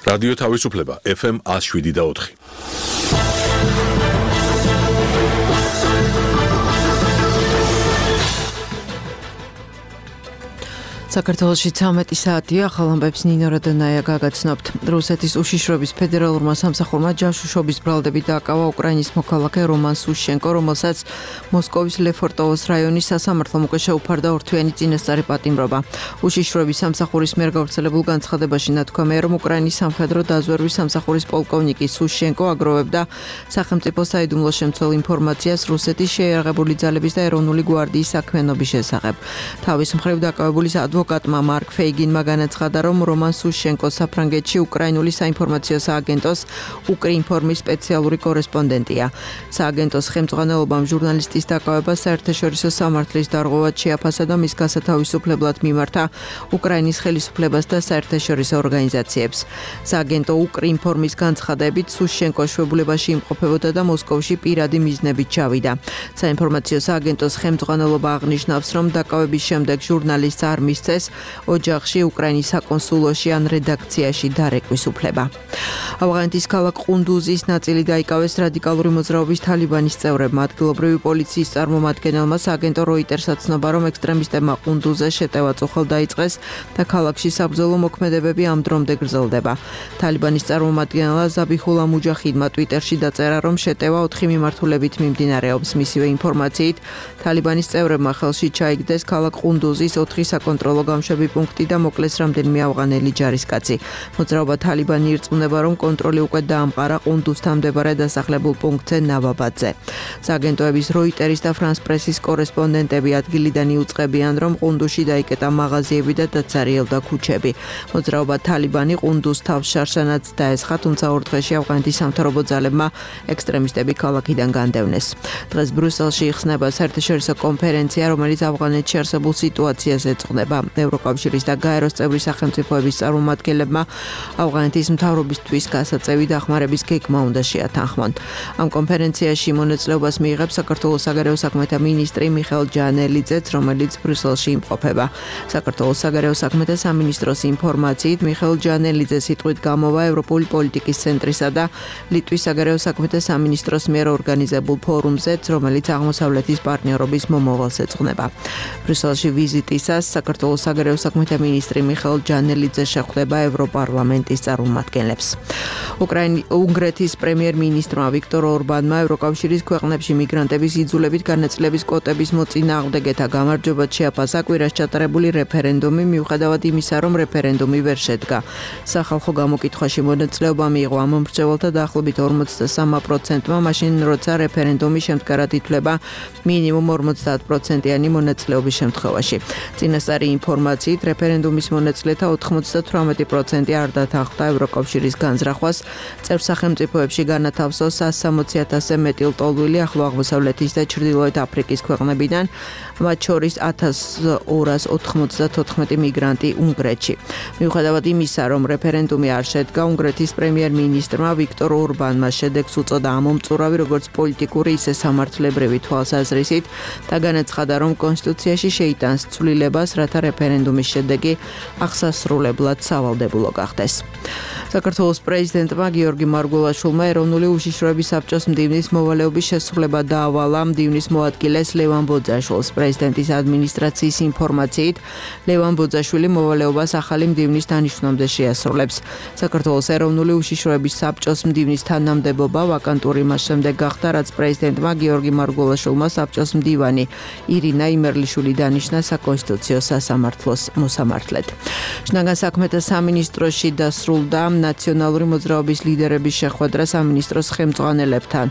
რადიო თავისუფლება FM 107.4. საქართველოში 13 საათია, ახალ ამბებს ნინო რადონაია გაგაცნობთ. რუსეთის უშიშროების ფედერალურმა სამსახურმა ჯაშუშობის ბრალდებით დააკავა უკრაინის მოქალაქე რომან სუშენკო, რომელსაც მოსკოვის ლეფორტოვოს რაიონის სასამართლომ უკვე შეუფარდა ორთვიანი წინასწარი პატიმრობა. უშიშროების სამსახურის მიერ გავრცელებულ განცხადებაში ნათქვამია, რომ უკრაინის სამხედრო დაზვერვის სამსახურის პოლკოვნიკი სუშენკო აგროვებდა სახელმწიფო საიდუმლო შემცველ ინფორმაციას რუსეთის შეიარაღებული ძალების და ეროვნული გვარდიის საქმიანობის შესახებ. თავის მხრივ დაკავებული ადვოკატმა მარკ ფეიგინმა განაცხადა, რომ რომან სუშენკო საფრანგეთში უკრაინული საინფორმაციო სააგენტოს უკრინფორმის სპეციალური კორესპონდენტია. სააგენტოს ხელმძღვანელობამ ჟურნალისტის დაკავება საერთაშორისო სამართლის დარღვევად შეაფასა და მის გასათავისუფლებლად მიმართა უკრაინის ხელისუფლებას და საერთაშორისო ორგანიზაციებს. სააგენტო უკრინფორმის განცხადებით სუშენკო შვებულებაში იმყოფებოდა და მოსკოვში პირადი მიზნებით ჩავიდა. საინფორმაციო სააგენტოს ხელმძღვანელობა აღნიშნავს, რომ დაკავების შემდეგ ჟურნალისტს არ მისცეს ოჯახში უკრაინის საკონსულოში ან რედაქციაში დარეკვის უფლება. ავღანეთის ქალაქ ყუნდუზის ნაწილი დაიკავეს რადიკალური მოძრაობის თალიბანის წევრებმა. ადგილობრივი პოლიციის წარმომადგენელმა სააგენტო როიტერსაც ცნობა, რომ ექსტრემისტებმა ყუნდუზზე შეტევა წუხელ დაიწყეს და ქალაქში საბრძოლო მოქმედებები ამ დრომდე გრძელდება. თალიბანის წარმომადგენელმა ზაბიჰულა მუჯაჰიდმა ტვიტერში დაწერა, რომ შეტევა 4 მიმართულებით მიმდინარეობს. მისივე ინფორმაციით, თალიბანის წევრებმა ხელში ჩაიგდეს ქალაქ ყუნდუზის 4 საკონტროლო გამშვები პუნქტი და მოკლეს რამდენიმე ავღანელი ჯარისკაცი. მოძრაობა თალიბანი ირწმუნება, რომ კონტროლი უკვე დაამყარა ყუნდუზთან მდებარე დასახლებულ პუნქტზე ნავაბადზე. სააგენტოების როიტერის და ფრანს პრესის კორესპონდენტები ადგილიდან იუწყებიან, რომ ყუნდუზში დაიკეტა მაღაზიები და დაცარიელდა ქუჩები. მოძრაობა თალიბანი ყუნდუზს თავს შარშანაც დაესხა, თუმცა ორ დღეში ავღანეთის სამთავრობო ძალებმა ექსტრემისტები ქალაქიდან განდევნეს. დღეს ბრიუსელში იხსნება საერთაშორისო კონფერენცია, რომელიც ავღანეთში არსებულ სიტუაციას ეძღვნება. ევროკავშირის და გაეროს წევრი სახელმწიფოების წარმომადგენლებმა ავღანეთის მთავრობისთვის გასაწევი დახმარების გეგმა უნდა შეათანხმონ. ამ კონფერენციაში მონაწილეობას მიიღებს საქართველოს საგარეო საქმეთა მინისტრი მიხეილ ჯანელიძეც, რომელიც ბრიუსელში იმყოფება. საქართველოს საგარეო საქმეთა სამინისტროს ინფორმაციით, მიხეილ ჯანელიძე სიტყვით გამოვა ევროპული პოლიტიკის ცენტრისა და ლიტვის საგარეო საქმეთა სამინისტროს მიერ ორგანიზებულ ფორუმზეც, რომელიც აღმოსავლეთის პარტნიორობის მომავალს ეძღვნება. ბრიუსელში ვიზიტისას საქართველოს საგარეო საქმეთა მინისტრი მიხეილ ჯანელიძე შეხვდება ევროპარლამენტის წარმომადგენლებს. უნგრეთის პრემიერ-მინისტრმა ვიქტორ ორბანმა ევროკავშირის ქვეყნებში მიგრანტების იძულებით განაწილების კვოტების მოწინააღმდეგეთა გამარჯვებად შეაფასა კვირას ჩატარებული რეფერენდუმი, მიუხედავად იმისა, რომ რეფერენდუმი ვერ შედგა. სახალხო გამოკითხვაში მონაწილეობა მიიღო ამ მომრჩეველთა დაახლოებით 43%-მა, მაშინ როცა რეფერენდუმი შემდგარად ითვლება მინიმუმ 50%-იანი მონაწილეობის შემთხვევაში. წინასწარი ინფორმაციით, რეფერენდუმის მონაწილეთა 98% არ დათანხმდა ევროკავშირის განზრახვას, წევრ სახელმწიფოებში განათავსოს 160,000-ზე მეტი ლტოლვილი ახლო აღმოსავლეთის და ჩრდილოეთ აფრიკის ქვეყნებიდან, მათ შორის 1294 მიგრანტი უნგრეთში. მიუხედავად იმისა, რომ რეფერენდუმი არ შედგა, უნგრეთის პრემიერ-მინისტრმა ვიქტორ ორბანმა შედეგს უწოდა ამომწურავი როგორც პოლიტიკური, ისე სამართლებრივი თვალსაზრისით და განაცხადა, რომ კონსტიტუციაში შეიტანს ცვლილებას, რათა რეფერენდუმის შედეგი აღსასრულებლად სავალდებულო გახდეს. საქართველოს პრეზიდენტმა გიორგი მარგველაშვილმა ეროვნული უშიშროების საბჭოს მდივნის მოვალეობის შესრულება დაავალა. მდივნის მოადგილეს ლევან ბოძაშვილს. პრეზიდენტის ადმინისტრაციის ინფორმაციით, ლევან ბოძაშვილი მოვალეობას ახალი მდივნის დანიშვნამდე შეასრულებს. საქართველოს ეროვნული უშიშროების საბჭოს მდივნის თანამდებობა ვაკანტური მას შემდეგ გახდა, რაც პრეზიდენტმა გიორგი მარგველაშვილმა საბჭოს მდივანი ირინა იმერლიშვილი დანიშნა საკონსტიტუციო სასამართლოს მოსამართლედ. შინაგან საქმეთა სამინისტროში დასრულდა ნაციონალური მოძრაობის ლიდერების შეხვედრა სამინისტროს ხელმძღვანელებთან.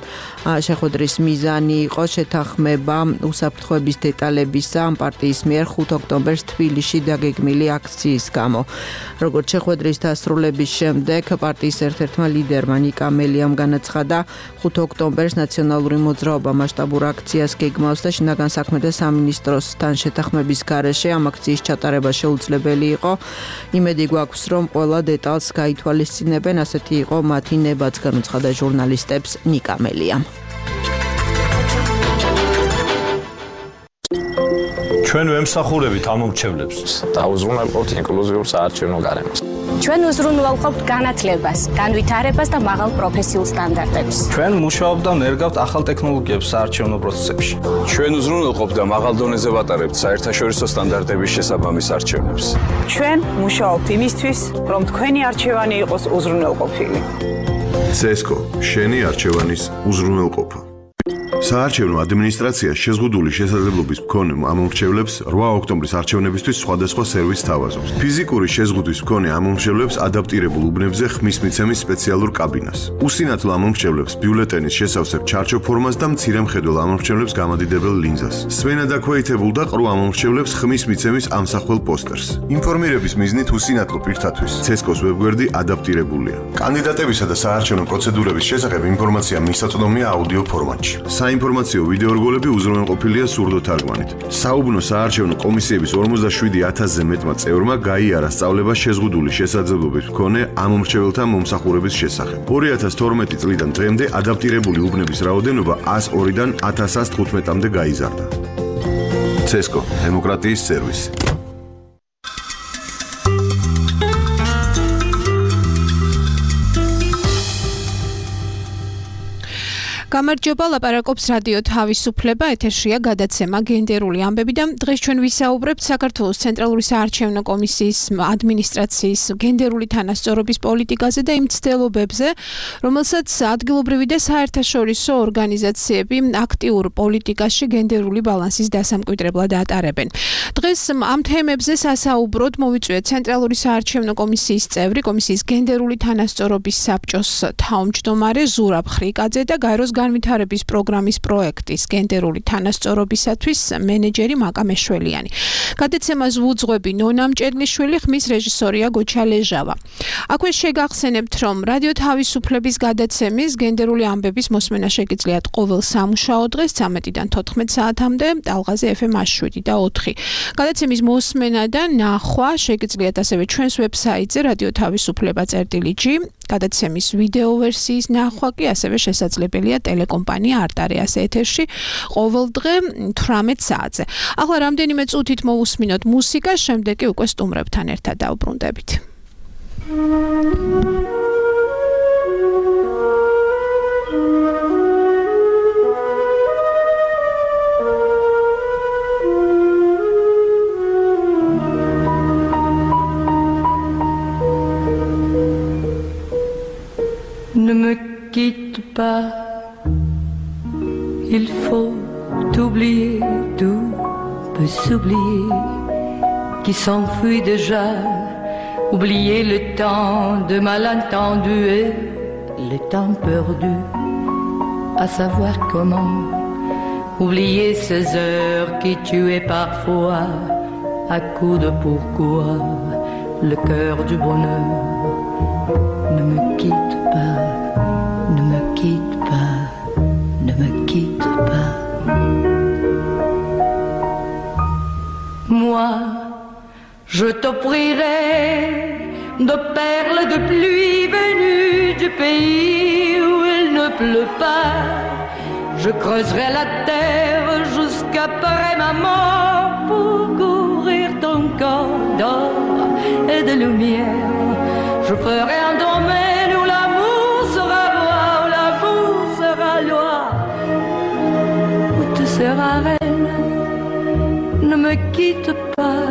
შეხვედრის მიზანი იყო შეთანხმება უსაფრთხოების დეტალებისა ამ პარტიის მიერ 5 ოქტომბერს თბილისში დაგეგმილი აქციის გამო. როგორც შეხვედრის დასრულების შემდეგ პარტიის ერთ-ერთმა ლიდერმა ნიკა მელიამ განაცხადა, 5 ოქტომბერს ნაციონალური მოძრაობა მასშტაბურ აქციას გეგმავს და შინაგან საქმეთა სამინისტროსთან შეთანხმების გარეშე ამ აქციის ჩატარება შეუძლებელი იყო. იმედი გვაქვს, რომ ყველა დეტალს გაითვალისწინებენ, ასეთი იყო მათი ნებაც, განუცხადა ჟურნალისტებს ნიკა მელიამ. ჩვენ ვემსახურებით ამ მომრჩევლებს. დაუზრუნავთ ინკლუზიურ საარჩევნო გარემოს. ჩვენ უზრუნველყოფთ განათლებას, განვითარებას და მაღალ პროფესიულ სტანდარტებს. ჩვენ მუშაობთ და ნერგავთ ახალ ტექნოლოგიებს საარჩევნო პროცესებში. ჩვენ უზრუნველყოფთ და მაღალ დონეზე ვატარებთ საერთაშორისო სტანდარტების შესაბამის არჩევნებს. ჩვენ მუშაობთ იმისთვის, რომ თქვენი არჩევანი იყოს უზრუნველყოფილი. CESCO შენი არჩევანის უზრუნველყოფა. საარჩევნო ადმინისტრაცია შეზღუდული შესაძლებლობის მქონე ამომრჩევლებს 8 ოქტომბრის არჩევნებისთვის სხვადასხვა სერვისს თავაზობს. ფიზიკური შეზღუდვის მქონე ამომრჩევლებს ადაპტირებულ უბნებზე ხმის მიცემის სპეციალურ კაბინას. უსინათლო ამომრჩევლებს ბიულეტენის შესავსებ ჩარჩო ფორმას და მცირე მხედველ ამომრჩევლებს გამადიდებელ ლინზას. სვენა დაქვეითებულ და ყრუ ამომრჩევლებს ხმის მიცემის ამსახველ პოსტერს. ინფორმირების მიზნით უსინათლო პირთათვის CESCO-s ვებგვერდი ადაპტირებულია. კანდიდატებისა და საარჩევნო პროცედურების შესახებ ინფორმაცია მისაწვდომია აუდიო ფორმატში. საინფორმაციო ვიდეორგოლები უზრუნველყოფილია სურდოთარგმანით. საუბნო საარჩევნო კომისიების 47,000-ზე მეტმა წევრმა გაიარა სწავლება შეზღუდული შესაძლებლობის მქონე ამომრჩეველთა მომსახურების შესახებ. 2012 წლიდან დღემდე ადაპტირებული უბნების რაოდენობა 102-დან 1115-მდე გაიზარდა. CESCO დემოკრატიის სერვისი. გამარჯობა, ლაპარაკობს რადიო თავისუფლება, ეთერშია გადაცემა გენდერული ამბები და დღეს ჩვენ ვისაუბრებთ საქართველოს ცენტრალური საარჩევნო კომისიის ადმინისტრაციის გენდერული თანასწორობის პოლიტიკაზე და იმ ცდელობებზე, რომელსაც ადგილობრივი და საერთაშორისო ორგანიზაციები აქტიურ პოლიტიკაში გენდერული ბალანსის დასამკვიდრებლად ატარებენ. დღეს ამ თემებზე სასაუბროდ მოვიწვიეთ ცენტრალური საარჩევნო კომისიის წევრი, კომისიის გენდერული თანასწორობის საბჭოს თავმჯდომარე ზურაბ ხრიკაძე და გაეროს განვითარების პროგრამის პროექტის გენდერული თანასწორობისათვის მენეჯერი მაკა მეშველიანი. გადაცემას ვუძღვები ნონა მჭედლიშვილი, ხმის რეჟისორია გოჩა ლეჟავა. აქვე შეგახსენებთ, რომ რადიო თავისუფლების გადაცემის გენდერული ამბების მოსმენა შეგიძლიათ ყოველ სამუშაო დღეს 13-დან 14 საათამდე ტალღაზე FM 7 და 4. გადაცემის მოსმენა და ნახვა შეგიძლიათ ასევე ჩვენს ვებსაიტზე radiotavisufleba.gi. გადაცემის ვიდეო ვერსიის ნახვა კი ასევე შესაძლებელია ტელეკომპანია არტარეას ეთერში ყოველ დღე 18 საათზე. ახლა რამდენიმე წუთით მოვუსმინოთ მუსიკა, შემდეგ კი უკვე სტუმრებთან ერთად დავბრუნდებით. Ne me quitte pas, il faut oublier, tout peut s'oublier, qui s'enfuit déjà, oublier le temps de malentendu et le temps perdu, à savoir comment, oublier ces heures qui tuaient parfois, à coups de pourquoi, le cœur du bonheur. Ne me quitte pas, ne me quitte pas, ne me quitte pas. Moi, je t'offrirai de perles de pluie venues du pays où il ne pleut pas. Je creuserai la terre jusqu'après ma mort pour couvrir ton corps d'or et de lumière. Je ferai un domaine où l'amour sera roi, où l'amour sera loi, où tu seras reine. Ne me quitte pas,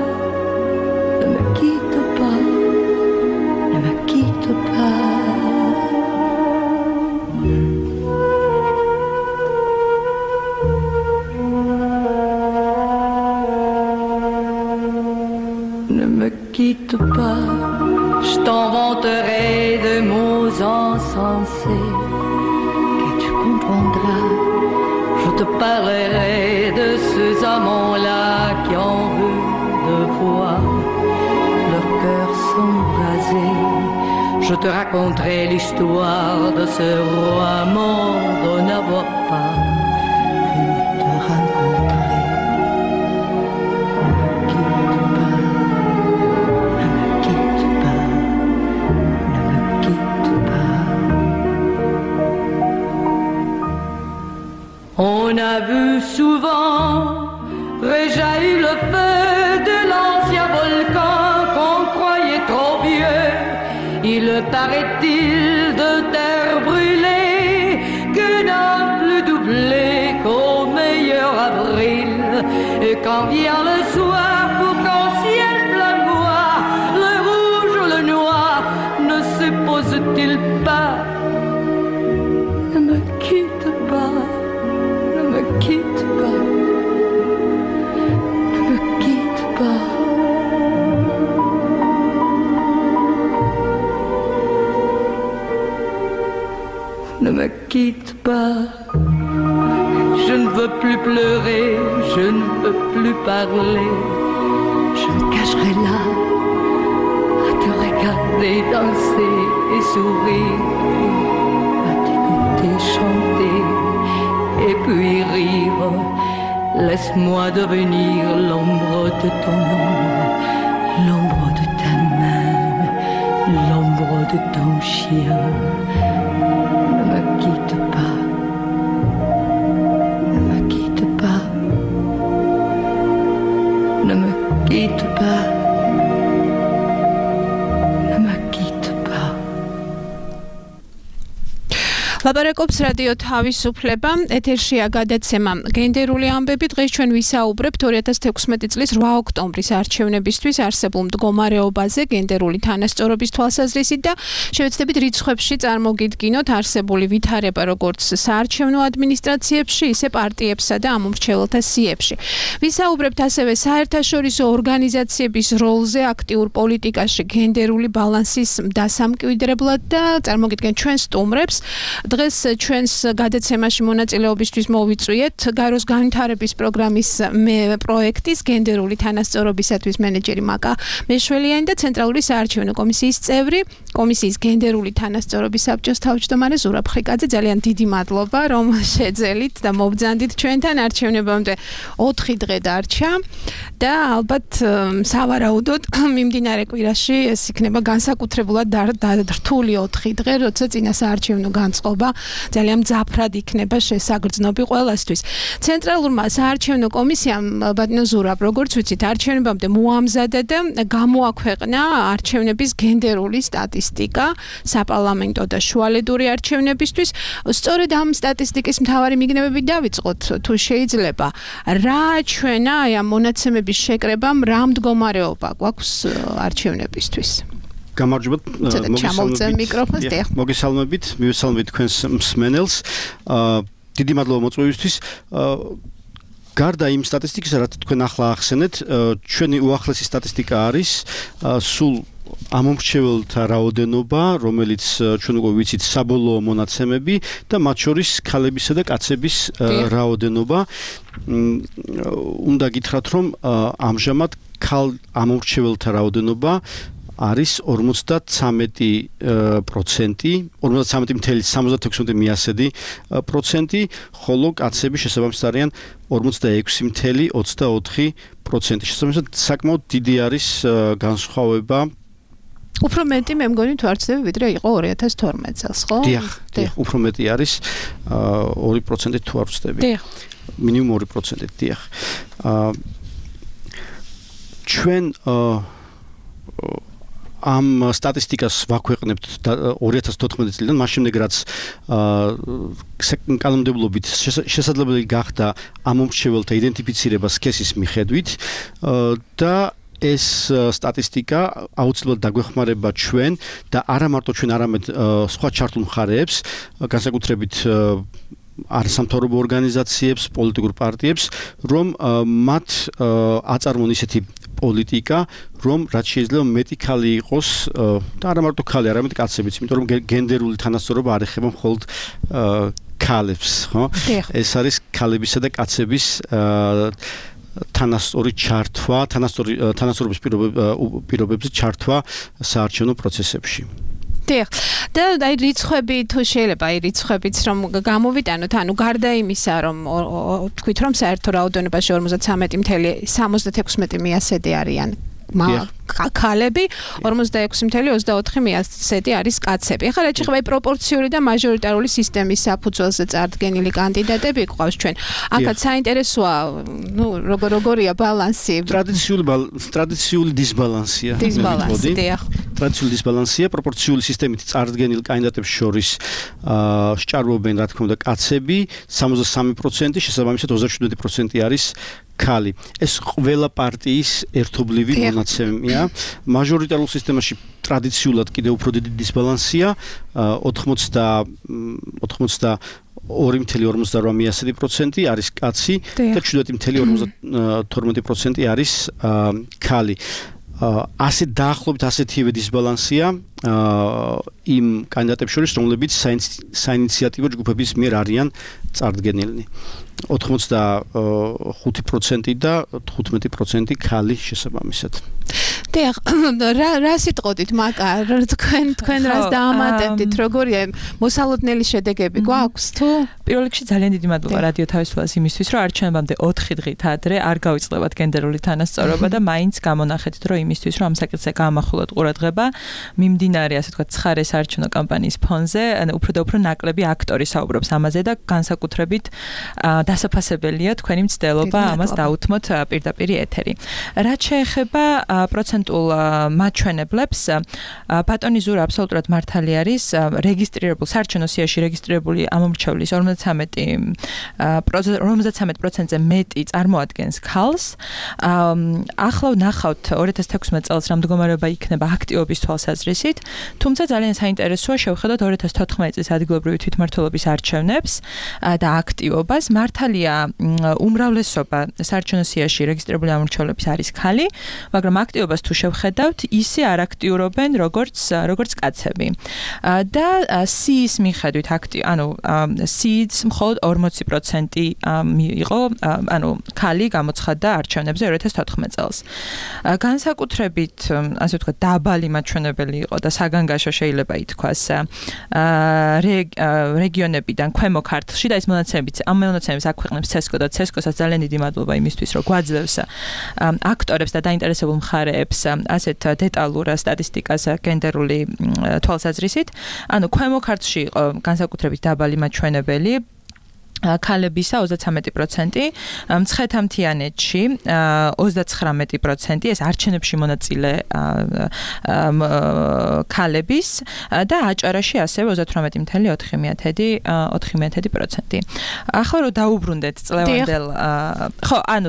ne me quitte pas, ne me quitte pas. Ne me quitte pas. Je t'inventerai de mots insensés que tu comprendras. Je te parlerai de ces amants-là qui ont vu deux fois leur cœur s'embraser. Je te raconterai l'histoire de ce roi mort de n'avoir pas pu te rencontrer. On a vu souvent réjaillir le feu de l'ancien volcan qu'on croyait trop vieux. Il paraît-il de terre brûlée que n'a plus doublé qu'au meilleur avril. Et quand vient le soir pour qu'en ciel flamboie, le rouge, le noir ne se pose-t-il pas? Ne me quitte pas, ne me quitte pas, ne me quitte pas. Ne me quitte pas, je ne veux plus pleurer, je ne veux plus parler, je me cacherai là, à te regarder danser et sourire, à t'écouter chanter et puis rire. Laisse-moi devenir l'ombre de ton ombre, l'ombre de ta main, l'ombre de ton chien. Ne me quitte pas, ne me quitte pas, ne me quitte pas, ne me quitte pas. ლაპარაკობს რადიო თავისუფლება, ეთერშია გადაცემა გენდერული ამბები. დღეს ჩვენ ვისაუბრებთ 2016 წლის 8 ოქტომბრის არჩევნებისთვის არსებულ მდგომარეობაზე გენდერული თანასწორობის თვალსაზრისით და შევეცდებით რიცხვებში წარმოგიდგინოთ არსებული ვითარება როგორც საარჩევნო ადმინისტრაციებში, ისე პარტიებსა და ამომრჩეველთა სიებში. ვისაუბრებთ ასევე საერთაშორისო ორგანიზაციების როლზე აქტიურ პოლიტიკაში გენდერული ბალანსის დასამკვიდრებლად და წარმოგიდგენთ ჩვენ სტუმრებს. დღეს ჩვენს გადაცემაში მონაწილეობისთვის მოვიწვიეთ გაროს განვითარების პროგრამის პროექტის გენდერული თანასწორობისათვის მენეჯერი მაკა მეშველიანი და ცენტრალური საარჩევნო კომისიის წევრი, კომისიის გენდერული თანასწორობის საბჭოს თავმჯდომარე ზურაბ ხრიკაძე. ძალიან დიდი მადლობა, რომ შეძელით და მობრძანდით ჩვენთან. არჩევნებამდე 4 დღე დარჩა და ალბათ სავარაუდოდ მიმდინარე კვირაში ეს იქნება განსაკუთრებულად რთული 4 დღე, როცა წინა საარჩევნო განწყობა ძალიან მძაფრად იქნება შესაგრძნობი ყველასთვის. ცენტრალურმა საარჩევნო კომისიამ ბატონო ზურაბ, როგორც ვიცით, არჩევნებამდე მოამზადა და გამოაქვეყნა არჩევნების გენდერული სტატისტიკა საპარლამენტო და შუალედური არჩევნებისთვის. სწორედ ამ სტატისტიკის მთავარი მიგნებები დავიწყოთ, თუ შეიძლება. რა ჩვენა აი ამ მონაცემების შეკრებამ, რა მდგომარეობა გვაქვს არჩევნებისთვის? გამარჯობა, მოგესალმებით, მივესალმებით თქვენს მსმენელს. დიდი მადლობა მოწვევისთვის. გარდა იმ სტატისტიკისა, რაც თქვენ ახლა ახსენეთ, ჩვენი უახლესი სტატისტიკა არის სულ ამომრჩეველთა რაოდენობა, რომელიც ჩვენ უკვე ვიცით საბოლოო მონაცემები და მათ შორის ქალებისა და კაცების რაოდენობა. უნდა გითხრათ, რომ ამჟამად ქალ ამომრჩეველთა რაოდენობა არის 53%, 53.76%, ხოლო კაცები შესაბამისად არიან 46.24%. შესაბამისად საკმაოდ დიდი არის განსხვავება. უფრო მეტი მე მგონი თუ არ ცდები, ვიდრე იყო 2012 წელს, ხო? დიახ, უფრო მეტი არის 2% თუ არ ვცდები. დიახ. მინიმუმ 2%, დიახ. ჩვენ ამ სტატისტიკას ვაქვეყნებთ 2014 წლიდან, მას შემდეგ რაც კანონმდებლობით შესაძლებელი გახდა ამომრჩეველთა იდენტიფიცირება სქესის მიხედვით და ეს სტატისტიკა აუცილებლად დაგვეხმარება ჩვენ და არა მარტო ჩვენ, არამედ სხვა ჩართულ მხარეებს, განსაკუთრებით არასამთავრობო ორგანიზაციებს, პოლიტიკურ პარტიებს, რომ მათ აწარმოონ ისეთი პოლიტიკა, რომ რაც შეიძლება მეტი ქალი იყოს და არა მარტო ქალი, არამედ კაცებიც, იმიტომ რომ გენდერული თანასწორობა არ ეხება მხოლოდ ქალებს, ხო? ეს არის ქალებისა და კაცების თანასწორი ჩართვა, თანასწორობის პირობებზე ჩართვა საარჩევნო პროცესებში. დიახ. და აი რიცხვები თუ შეიძლება, აი რიცხვებიც რომ გამოვიტანოთ, ანუ გარდა იმისა, რომ თქვით რომ საერთო რაოდენობაში 53.76 მიასედი არიან ქალები 46.24% არის კაცები. ახლა რაც შეეხება პროპორციული და მაჟორიტარული სისტემის საფუძველზე წარდგენილი კანდიდატები გვყავს ჩვენ. აქაც საინტერესოა, როგორია ბალანსი. ტრადიციული დისბალანსია. ტრადიციული დისბალანსია, პროპორციული სისტემით წარდგენილ კანდიდატებს შორის სჭარბობენ, რა თქმა უნდა, კაცები 63%, შესაბამისად 37% არის ქალი. ეს ყველა პარტიის ერთობლივი მონაცემია. მაჟორიტარულ სისტემაში ტრადიციულად კიდევ უფრო დიდი დისბალანსია, 82.58% არის კაცი და 7.52% არის ქალი. ასე დაახლოებით ასეთივე დისბალანსია იმ კანდიდატებს შორის, რომლებიც საინიციატივო ჯგუფების მიერ არიან წარდგენილნი. 85% და 15% ქალი შესაბამისად. დიახ, რა სიტყოდით, მაკარ, თქვენ რას დაამატებდით, როგორია მოსალოდნელი შედეგები გვაქვს თუ? პირველ რიგში ძალიან დიდი მადლობა რადიო თავისუფლებას იმისთვის, რომ არჩევნებამდე 4 დღით ადრე არ გავიწყდებათ გენდერული თანასწორობა და მაინც გამონახეთ, რომ იმისთვის, რომ ამ საკითხზე გაამახვილოთ ყურადღება, მიმდინარე, ასე ვთქვათ, ცხარე საარჩევნო კამპანიის ფონზე, უფრო და უფრო ნაკლები აქტორი საუბრობს ამაზე და განსაკუთრებით დასაფასებელია თქვენი მცდელობა ამას დაუთმოთ პირდაპირ ეთერი. რაც შეეხება პროცენტულ მაჩვენებლებს, ბატონი ზურა აბსოლუტურად მართალი არის, რეგისტრირებულ საარჩევნო სიაში რეგისტრირებული ამომრჩევლის 53%-ზე მეტი წარმოადგენს ქალს. ახლა ვნახავთ 2016 წელს რა მდგომარეობა იქნება აქტივობის თვალსაზრისით, თუმცა ძალიან საინტერესოა შევხედოთ 2014 წლის ადგილობრივი თვითმმართველობის არჩევნებს და აქტივობას. მართალია უმრავლესობა საარჩევნო სიაში რეგისტრირებული ამომრჩევლების არის ქალი, მაგრამ აქტივობას თუ შევხედავთ, ისე არ აქტიურობენ როგორც კაცები. და სიის მიხედვით სიიც მხოლოდ 40% იყო, ქალი გამოცხადდა არჩევნებზე 2014 წელს. განსაკუთრებით, ასე ვთქვათ, დაბალი მაჩვენებელი იყო და საგანგაშო შეიძლება ითქვას რეგიონებიდან ქვემო ქართლში და ეს მონაცემებიც ამ მონაცემებს აქვეყნებს CESCO და CESCO-საც ძალიან დიდი მადლობა იმისთვის, რომ გვაძლევს აქტორებს და დაინტერესებულ მხარეებს ასეთ დეტალურ სტატისტიკას გენდერული თვალსაზრისით. ქვემო ქართლში იყო განსაკუთრებით დაბალი მაჩვენებელი ქალებისა 33%, მცხეთ-მთიანეთში 39%, ეს არჩევნებში მონაწილე ქალების და აჭარაში ასევე 38.4%. ახლა რომ დაუბრუნდეთ წლევანდელ,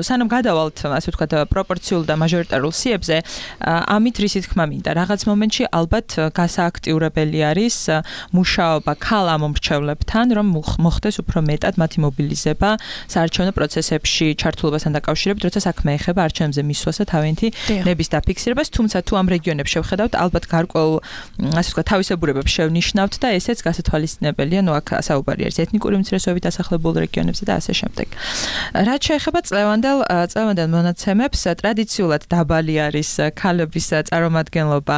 სანამ გადავალთ, ასე ვთქვათ, პროპორციულ და მაჟორიტარულ სიებზე, ამით რისი თქმა მინდა, რაღაც მომენტში ალბათ გასააქტიურებელი არის მუშაობა ქალ ამომრჩევლებთან, რომ მოხდეს უფრო მეტად მათი მობილიზება საარჩევნო პროცესებში ჩართულობასთან დაკავშირებით, როცა საქმე ეხება არჩევნებზე მისვლას და თავიანთი ნების დაფიქსირებას, თუმცა თუ ამ რეგიონებს შევხედავთ, ალბათ გარკვეულ, ასე ვთქვათ, თავისებურებებს შევნიშნავთ და ესეც გასათვალისწინებელია, აქ საუბარი არის ეთნიკური უმცირესობებით დასახლებულ რეგიონებზე და ასე შემდეგ. რაც შეეხება წლევანდელ მონაცემებს, ტრადიციულად დაბალი არის ქალების წარმომადგენლობა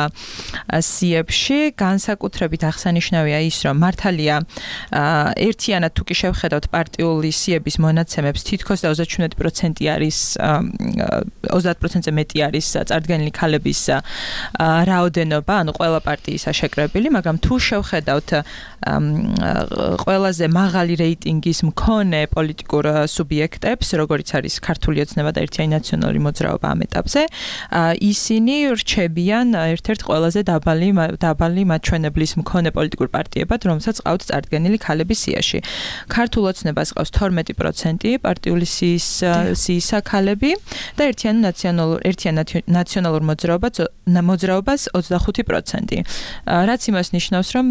სიებში, განსაკუთრებით აღსანიშნავია ის, რომ მართალია ერთიანად თუ კი შევხედავთ პარტიული სიების მონაცემებს, თითქოს და 37% არის 30%-ზე მეტი არის წარდგენილი ქალების რაოდენობა, ყველა პარტიისა შეკრებილი, მაგრამ თუ შევხედავთ ყველაზე მაღალი რეიტინგის მქონე პოლიტიკურ სუბიექტებს, როგორიც არის ქართული ოცნება და ერთიანი ნაციონალური მოძრაობა ამ ეტაპზე, ისინი რჩებიან ერთ-ერთ ყველაზე დაბალი მაჩვენებლის მქონე პოლიტიკურ პარტიებად, რომელსაც ყავთ წარდგენილი ქალების სიაში. ქართულ ოცნებას ყავს 12% პარტიული სიისა ქალები და ერთიან ნაციონალურ მოძრაობას 25%. რაც იმას ნიშნავს, რომ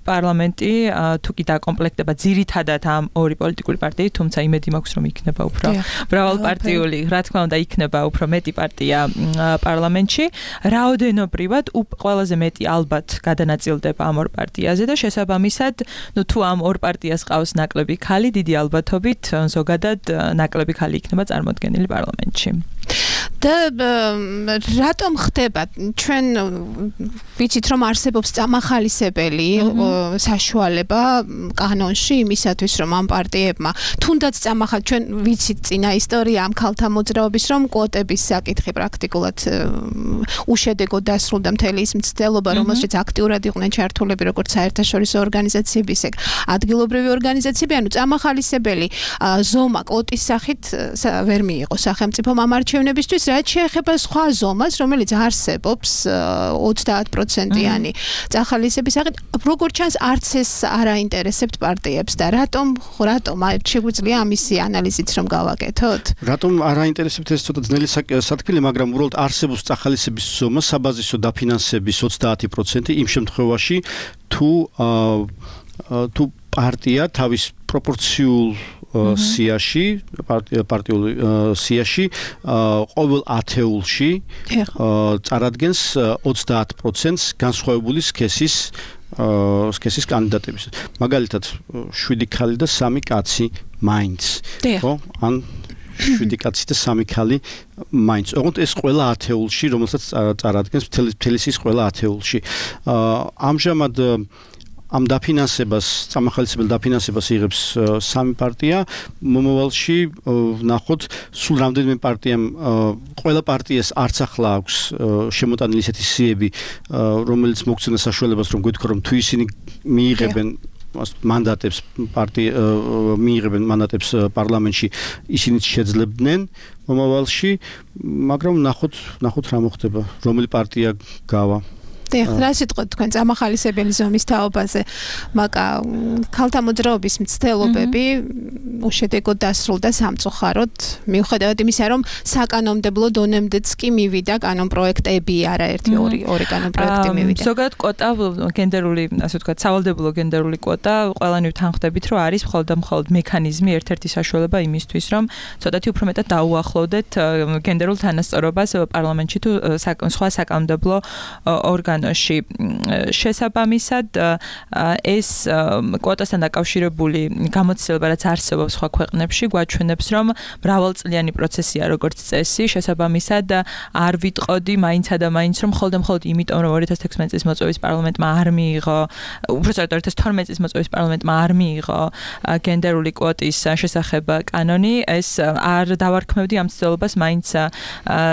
პარლამენტი თუ კი დაკომპლექტდება ძირითადად ამ ორი პოლიტიკური პარტიით, თუმცა იმედი მაქვს, რომ იქნება უფრო მრავალპარტიული, რა თქმა უნდა, იქნება უფრო მეტი პარტია პარლამენტში. რაოდენობრივად ყველაზე მეტი ალბათ გადანაწილდება ამ ორ პარტიაზე და შესაბამისად, თუ ამ ორ პარტიას ყავს ნაკლები ქალი, დიდი ალბათობით ზოგადად ნაკლები ქალი იქნება წარმოდგენილი პარლამენტში. და რატომ ხდება ჩვენ ვიცით რომ არსებობს წამახალისებელი საშუალება კანონში იმისათვის რომ ამ პარტიებმა თუნდაც ჩვენ ვიცით წინა ისტორია ამ ქალთა მოძრაობის რომ კვოტების საკითხი პრაქტიკულად უშედეგოდ დასრულდა მთელი ის მცდელობა რომელშიც აქტიურად იყვნენ ჩართულები როგორც საერთაშორისო ორგანიზაციები ისე ადგილობრივი ორგანიზაციები ანუ წამახალისებელი ზომა კვოტის სახით ვერ მიიღო სახელმწიფომ ამ არჩევნებისთვის რაც შეეხება სხვა ზომას რომელიც არსებობს 30%-იანი წახალისების სახით როგორც ჩანს არც ეს არ აინტერესებთ პარტიებს და რატომ შეგვიძლია ამისი ანალიზით რომ გავაკეთოთ რატომ არ აინტერესებთ ეს ცოტა ძნელი სათქმელი მაგრამ უბრალოდ არსებობს წახალისების ზომა საბაზისო დაფინანსების 30% იმ შემთხვევაში თუ პარტია თავის პროპორციულ სიაში პარტიულ სიაში ყოველ ათეულში წარადგენს 30%-ს განსხვავებული სქესის კანდიდატების. მაგალითად 7 ქალი და 3 კაცი მაინც. ხო? ან 7 კაცი და 3 ქალი მაინც. ოღონდ ეს ყველა ათეულში, რომელსაც წარადგენს მთელი ის ყველა ათეულში. ამჟამად ამ დაფინანსებას, წამახალისებელ დაფინანსებას იღებს 3 პარტია, მომავალში ვნახოთ სულ რამდენიმე პარტიამ ყველა პარტიას არც ახლა აქვს შემოტანილი ისეთი სიები, რომელიც მოგცემა საშუალებას რომ გვეთქვა რომ თუ ისინი მიიღებენ მანდატებს მიიღებენ მანდატებს პარლამენტში ისინიც შეძლებდნენ მომავალში, მაგრამ ვნახოთ რა მოხდება, რომელი პარტია გავა. რა სიტყვით თქვენ წამახალისებელი ზომის თაობაზე, მაგრამ ქალთა მოძრაობის მცდელობები უშედეგოდ დასრულდა სამწუხაროდ, მიუხედავად იმისა, რომ საკანონმდებლო დონემდეც კი მივიდა კანონპროექტები, არაერთი ორი კანონპროექტი მივიდა. ზოგადად კვოტა გენდერული, ასე ვთქვათ, სავალდებულო გენდერული კვოტა, ყველანი თანხმდებით, რომ არის მხოლოდ მექანიზმი, ერთ-ერთი საშუალება იმისთვის, რომ ცოტათი უფრო მეტად დაუახლოვდეთ გენდერულ თანასწორობას პარლამენტში თუ სხვა საკანონმდებლო ორგანოში. შესაბამისად ეს კვოტასთან დაკავშირებული გამოცდილება რაც არსებობს სხვა ქვეყნებში გვაჩვენებს რომ მრავალწლიანი პროცესია როგორც წესი შესაბამისად არ ვიტყოდი მაინცა და მაინც რომ მხოლოდ იმიტომ რომ 2016 წლის მოწვევის პარლამენტმა არ მიიღო უბრალოდ 2012 წლის მოწვევის პარლამენტმა არ მიიღო გენდერული კვოტის შესახებ კანონი ეს არ დავარქმევდი ამ ცდელობას მაინც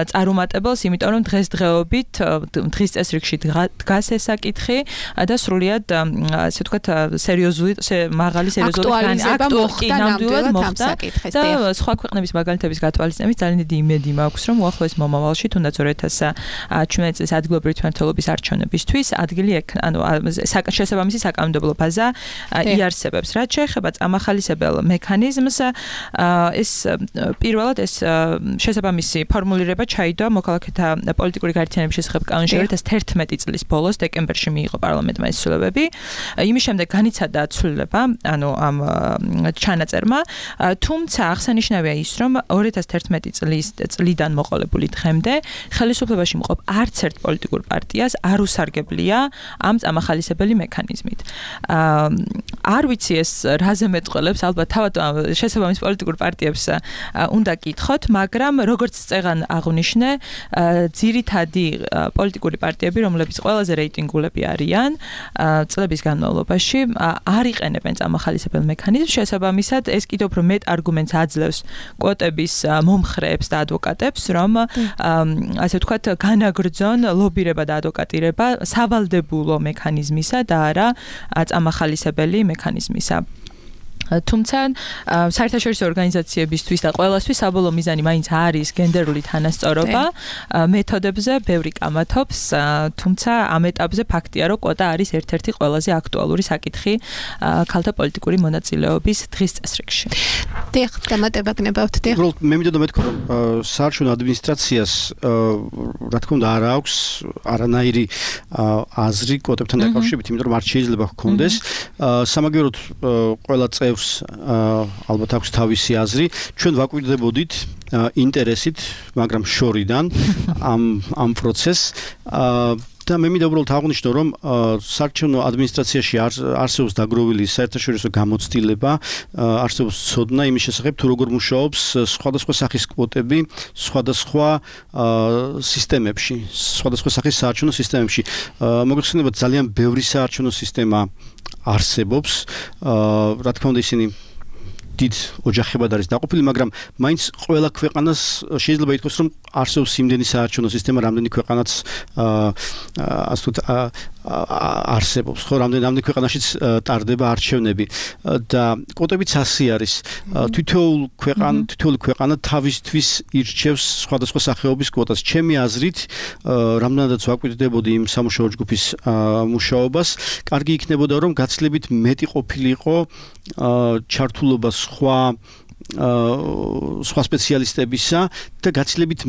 წარუმატებელს იმიტომ რომ დღესდღეობით დღის წესრიგში დგას ეს საკითხი და სრულიად ასე ვთქვათ სერიოზული მაღალი სერიოზული ნამდვილად მოხდა და სხვა ქვეყნების მაგალითების გათვალისწინებით ძალიან დიდი იმედი მაქვს რომ უახლოეს მომავალში თუნდაც 2017 წლის ადგილობრივი თვითმმართველობის არჩევნებისთვის ადგილი შესაბამისი საკანონმდებლო ბაზა იარსებებს რაც შეეხება წამახალისებელ მექანიზმს ეს პირველად ეს შესაბამისი ფორმულირება ჩაიდო მოქალაქეთა პოლიტიკური გაერთიანების შესახებ კანონში 2011 წლის ბოლოს დეკემბერში მიიღო პარლამენტმა ეს ცვლილებები. იმის შემდეგ განიცადა ცვლილება, ანუ ამ ჩანაწერმა, თუმცა აღსანიშნავია ის, რომ 2011 წლიდან მოყოლებული დღემდე ხელისუფლებაში მყოფ არც ერთ პოლიტიკურ პარტიას არ უსარგებლია ამ წამახალისებელი მექანიზმით. არ ვიცი ეს რაზე მეტყველებს, ალბათ თავად შესაბამის პოლიტიკურ პარტიებს უნდა კითხოთ, მაგრამ როგორც წეგან აღნიშნე, ძირითადი პოლიტიკური პარტიები, რომლებიც ყველაზე რეიტინგულები არიან წლების განმავლობაში, არ იყენებენ წამახალისებელ მექანიზმს, შესაბამისად ეს კიდევ უფრო მეტ არგუმენტს აძლევს კვოტების მომხრეებს და ადვოკატებს, რომ ასე ვთქვათ, განაგრძონ ლობირება და ადვოკატირება სავალდებულო მექანიზმისა და არა წამახალისებელი მექანიზმისა. თუმცა საერთაშორისო ორგანიზაციებისთვის და ყველასთვის საბოლოო მიზანი მაინც არის გენდერული თანასწორობა მეთოდებზე ბევრი კამათობს თუმცა ამ ეტაპზე ფაქტია რომ კვოტა არის ერთ-ერთი ყველაზე აქტუალური საკითხი ქალთა პოლიტიკური მონაწილეობის დღის წესრიგში. დიახ, დამატება გნებავთ, დიახ. მე მინდოდა მეთქვა რომ საარჩევნო ადმინისტრაციას რა თქმა უნდა არ აქვს არანაირი აზრი კვოტებთან დაკავშირებით, იმიტომ რომ არ შეიძლება ჰქონდეს სამაგიეროდ ყველა ალბათ აქვს თავისი აზრი. ჩვენ ვაკვირდებოდით ინტერესით, მაგრამ შორიდან ამ პროცესს და მე მინდა უბრალოდ აღვნიშნო, რომ საარჩევნო ადმინისტრაციაში არსებობს დაგროვილი საერთაშორისო გამოცდილება, არსებობს ცოდნა იმის შესახებ, თუ როგორ მუშაობს სხვადასხვა სახის კვოტები, სხვადასხვა სისტემებში, სხვადასხვა სახის საარჩევნო სისტემებში. მოგეხსენებათ, ძალიან ბევრი საარჩევნო სისტემა არსებობს, რა თქმა უნდა ისინი დიდ ოჯახებად არის დაყოფილი, მაგრამ მაინც ყველა ქვეყანას შეიძლება ითქვას, რომ არსებობს იმდენი საარჩევნო სისტემა, რამდენი ქვეყანაც ასე ვთქვათ არსებობს, ხო, რამდენი ქვეყანაშიც ტარდება არჩევნები და კვოტებიც ასე არის. თითოეული ქვეყანა თავისთვის ირჩევს სხვადასხვა სახეობის კვოტას. ჩემი აზრით, რამდენადაც ვაკვირდებოდი იმ სამუშაო ჯგუფის მუშაობას, კარგი იქნებოდა, რომ გაცილებით მეტი ყოფილიყო ჩართულობა სხვა სპეციალისტებისა და გაცილებით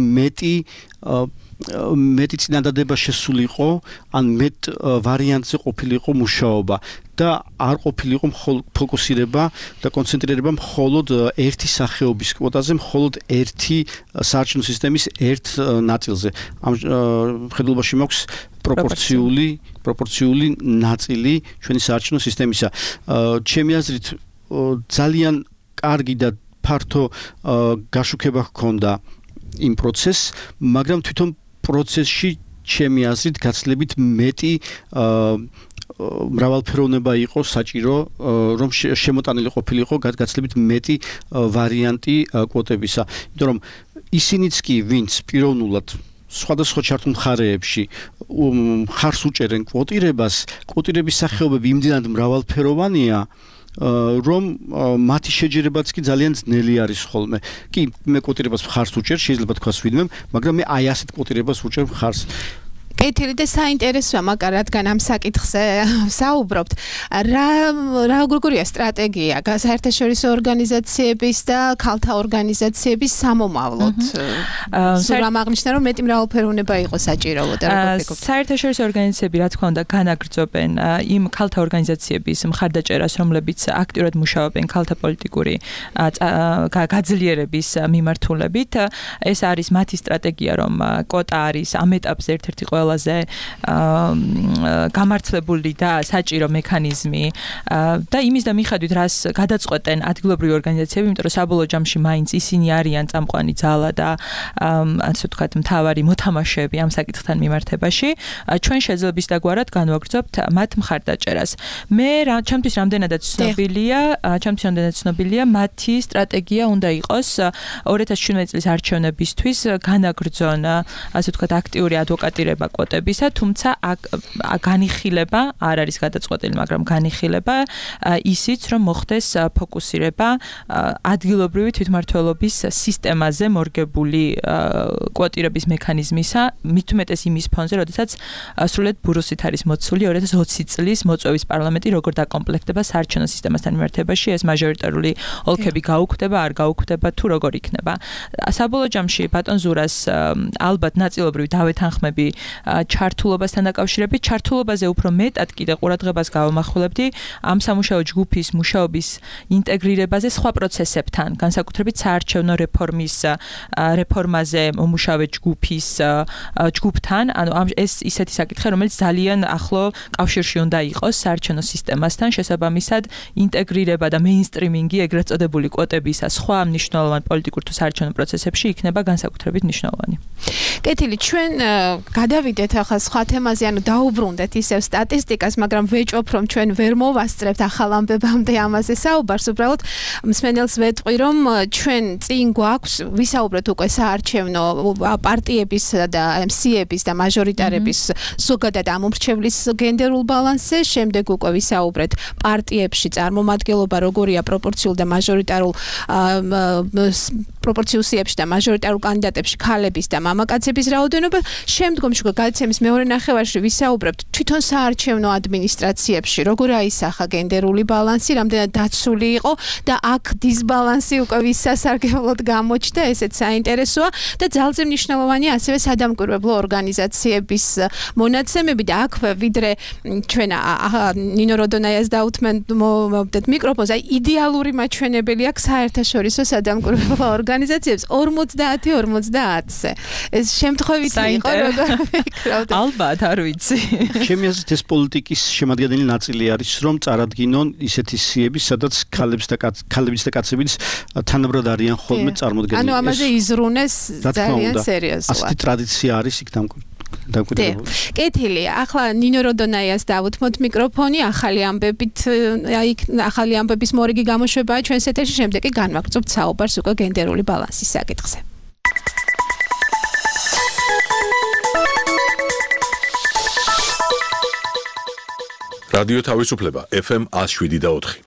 მეტი წინადადება შესულიყო, ან მეტ ვარიანტზე ყოფილიყო მუშაობა და არ ყოფილიყო ფოკუსირება და კონცენტრირება მხოლოდ ერთი სახეობის კვოტაზე, მხოლოდ ერთი საარჩევნო სისტემის ერთ ნაწილზე. ამ ხედულობაში მაქვს პროპორციული ნაწილი ჩვენი საარჩევნო სისტემისა. ჩემი აზრით ძალიან კარგი და ფართო გაშუქება ჰქონდა იმ პროცესს, მაგრამ თვითონ პროცესში ჩემი აზრით გაცილებით მეტი მრავალფეროვნება იყო საჭირო, რომ შემოტანილი ყოფილიყო გაცილებით მეტი ვარიანტი კვოტებისა. იმიტომ რომ ისინიც კი, ვინც პიროვნულად სხვადასხვა ჩართულ მხარეებში ხარს უჭერენ კვოტირებას, კვოტირების სახეობები იმდენად მრავალფეროვანია, რომ მათი შეჯერებაც კი ძალიან ძნელი არის ხოლმე. კი, მე კვოტირებას ხარს უჭერ, შეიძლება თქვას ვინმე, მაგრამ მე აი ასეთ კვოტირებას უჭერ ხარს. კეთილი და საინტერესოა, მაგრამ რადგან ამ საკითხზე საუბრობთ, რა როგორია სტრატეგია საერთაშორისო ორგანიზაციების და ქალთა ორგანიზაციების სამომავლოდ? სულ აღნიშნა, რომ მეტი მრავალფეროვნება იყო საჭირო და როგორ ფიქრობთ? საერთაშორისო ორგანიზაციები, რა თქმა უნდა, განაგრძობენ იმ ქალთა ორგანიზაციების მხარდაჭერას, რომლებიც აქტიურად მუშაობენ ქალთა პოლიტიკური გაძლიერების მიმართულებით. ეს არის მათი სტრატეგია, რომ კვოტა არის ამ ეტაპზე ერთ-ერთი ყველაზე გამართლებული და საჭირო მექანიზმი და იმის და მიხედვით რას გადაწყვეტენ ადგილობრივი ორგანიზაციები, იმიტომ რომ საბოლოო ჯამში მაინც ისინი არიან წამყვანი ძალა და ასე ვთქვათ მთავარი მოთამაშეები ამ საკითხთან მიმართებაში, ჩვენ შეძლებს დაგვარად განვაგრძობთ მათ მხარდაჭერას. ჩემთვის რამდენადაც ცნობილია, მათი სტრატეგია უნდა იყოს 2017 წლის არჩევნებისთვის განაგრძონ, ასე ვთქვათ, აქტიური ადვოკატირება კვოტებისა, თუმცა განიხილება არ არის გადაწყვეტილი, მაგრამ განიხილება ისიც, რომ მოხდეს ფოკუსირება ადგილობრივი თვითმმართველობის სისტემაზე მორგებული კვოტირების მექანიზმისა, მით უმეტეს იმის ფონზე, როდესაც სრულად ბურუსით არის მოცული 2020 წლის მოწვევის პარლამენტი როგორ დაკომპლექტდება საარჩევნო სისტემასთან მიმართებაში, ეს მაჟორიტარული ოლქები გაუქმდება, არ გაუქმდება, თუ როგორ იქნება. საბოლოო ჯამში ბატონ ზურას ალბათ ნაწილობრივ დავეთანხმები ჩართულობასთან დაკავშირებით, ჩართულობაზე უფრო მეტად კიდე ყურადღებას გავამახვილებდი ამ სამუშაო ჯგუფის მუშაობის ინტეგრირებაზე სხვა პროცესებთან, განსაკუთრებით საარჩევნო რეფორმაზე მომუშავე ჯგუფთან, ანუ ეს ისეთი საკითხი, რომელიც ძალიან ახლო კავშირში უნდა იყოს საარჩევნო სისტემასთან, შესაბამისად ინტეგრირება და მეინსტრიმინგი ეგრეთ წოდებული კვოტებისა სხვა მნიშვნელოვან პოლიტიკურ თუ საარჩევნო პროცესებში იქნება განსაკუთრებით მნიშვნელოვანი. კეთილი, ჩვენ გადავიდეთ ახლა სხვა თემაზე, ანუ დაუბრუნდეთ ისევ სტატისტიკას, მაგრამ ვეჭვობ, რომ ჩვენ ვერ მოვასწრებთ ახალ ამბებამდე ამაზე საუბარს, უბრალოდ მსმენელს ვეტყვი, რომ ჩვენ წინ გვაქვს ვისაუბრეთ უკვე საარჩევნო პარტიების და MC-ების და მაჟორიტარების ზოგადად ამომრჩევლის გენდერულ ბალანსზე, შემდეგ უკვე ვისაუბრეთ პარტიებში წარმომადგენლობა როგორია პროპორციულ და მაჟორიტარულ პროპორციუსიებში და მაჟორიტარულ კანდიდატებში ქალების და მამაკაცების რაოდენობა. შემდგომში გადაცემის მეორე ნახევარში ვისაუბრებთ თვითონ საარჩევნო ადმინისტრაციებში როგორ აისახა გენდერული ბალანსი, რამდენად დაცული იყო და აქ დისბალანსი უკვე ვისასარგებლოდ გამოჩნდა, ესეც საინტერესოა და ძალზე მნიშვნელოვანია ასევე სადამკვირვებლო ორგანიზაციების მონაცემები და აქვე ვიდრე ჩვენ ნინო როდონაიას დაუთმენთ მიკროფონს, აი იდეალური მაჩვენებელი აქვს საერთაშორისო სადამკვირვებლო ორგანიზაციებს 50-50-ზე. ეს შემთხვევით იყო, ალბათ არ ვიცი. ჩემი აზრით ეს პოლიტიკის შემადგენელი ნაწილი არის, რომ წარადგინონ ისეთი სიები, სადაც ქალებიც და კაცებიც თანაბრად არიან ხოლმე წარმოდგენილი. ანუ ამაზე იზრუნეს ძალიან სერიოზულად. ასეთი ტრადიცია არის იქ დამკვიდრებული. კეთილი, ახლა ნინო როდონაიას დავუთმოთ მიკროფონი, ახალი ამბების მორიგი გამოშვებაა ჩვენს ეთერში, შემდეგ კი განვაგრძობთ საუბარს უკვე გენდერული ბალანსის საკითხზე. რადიო თავისუფლება FM 107.4.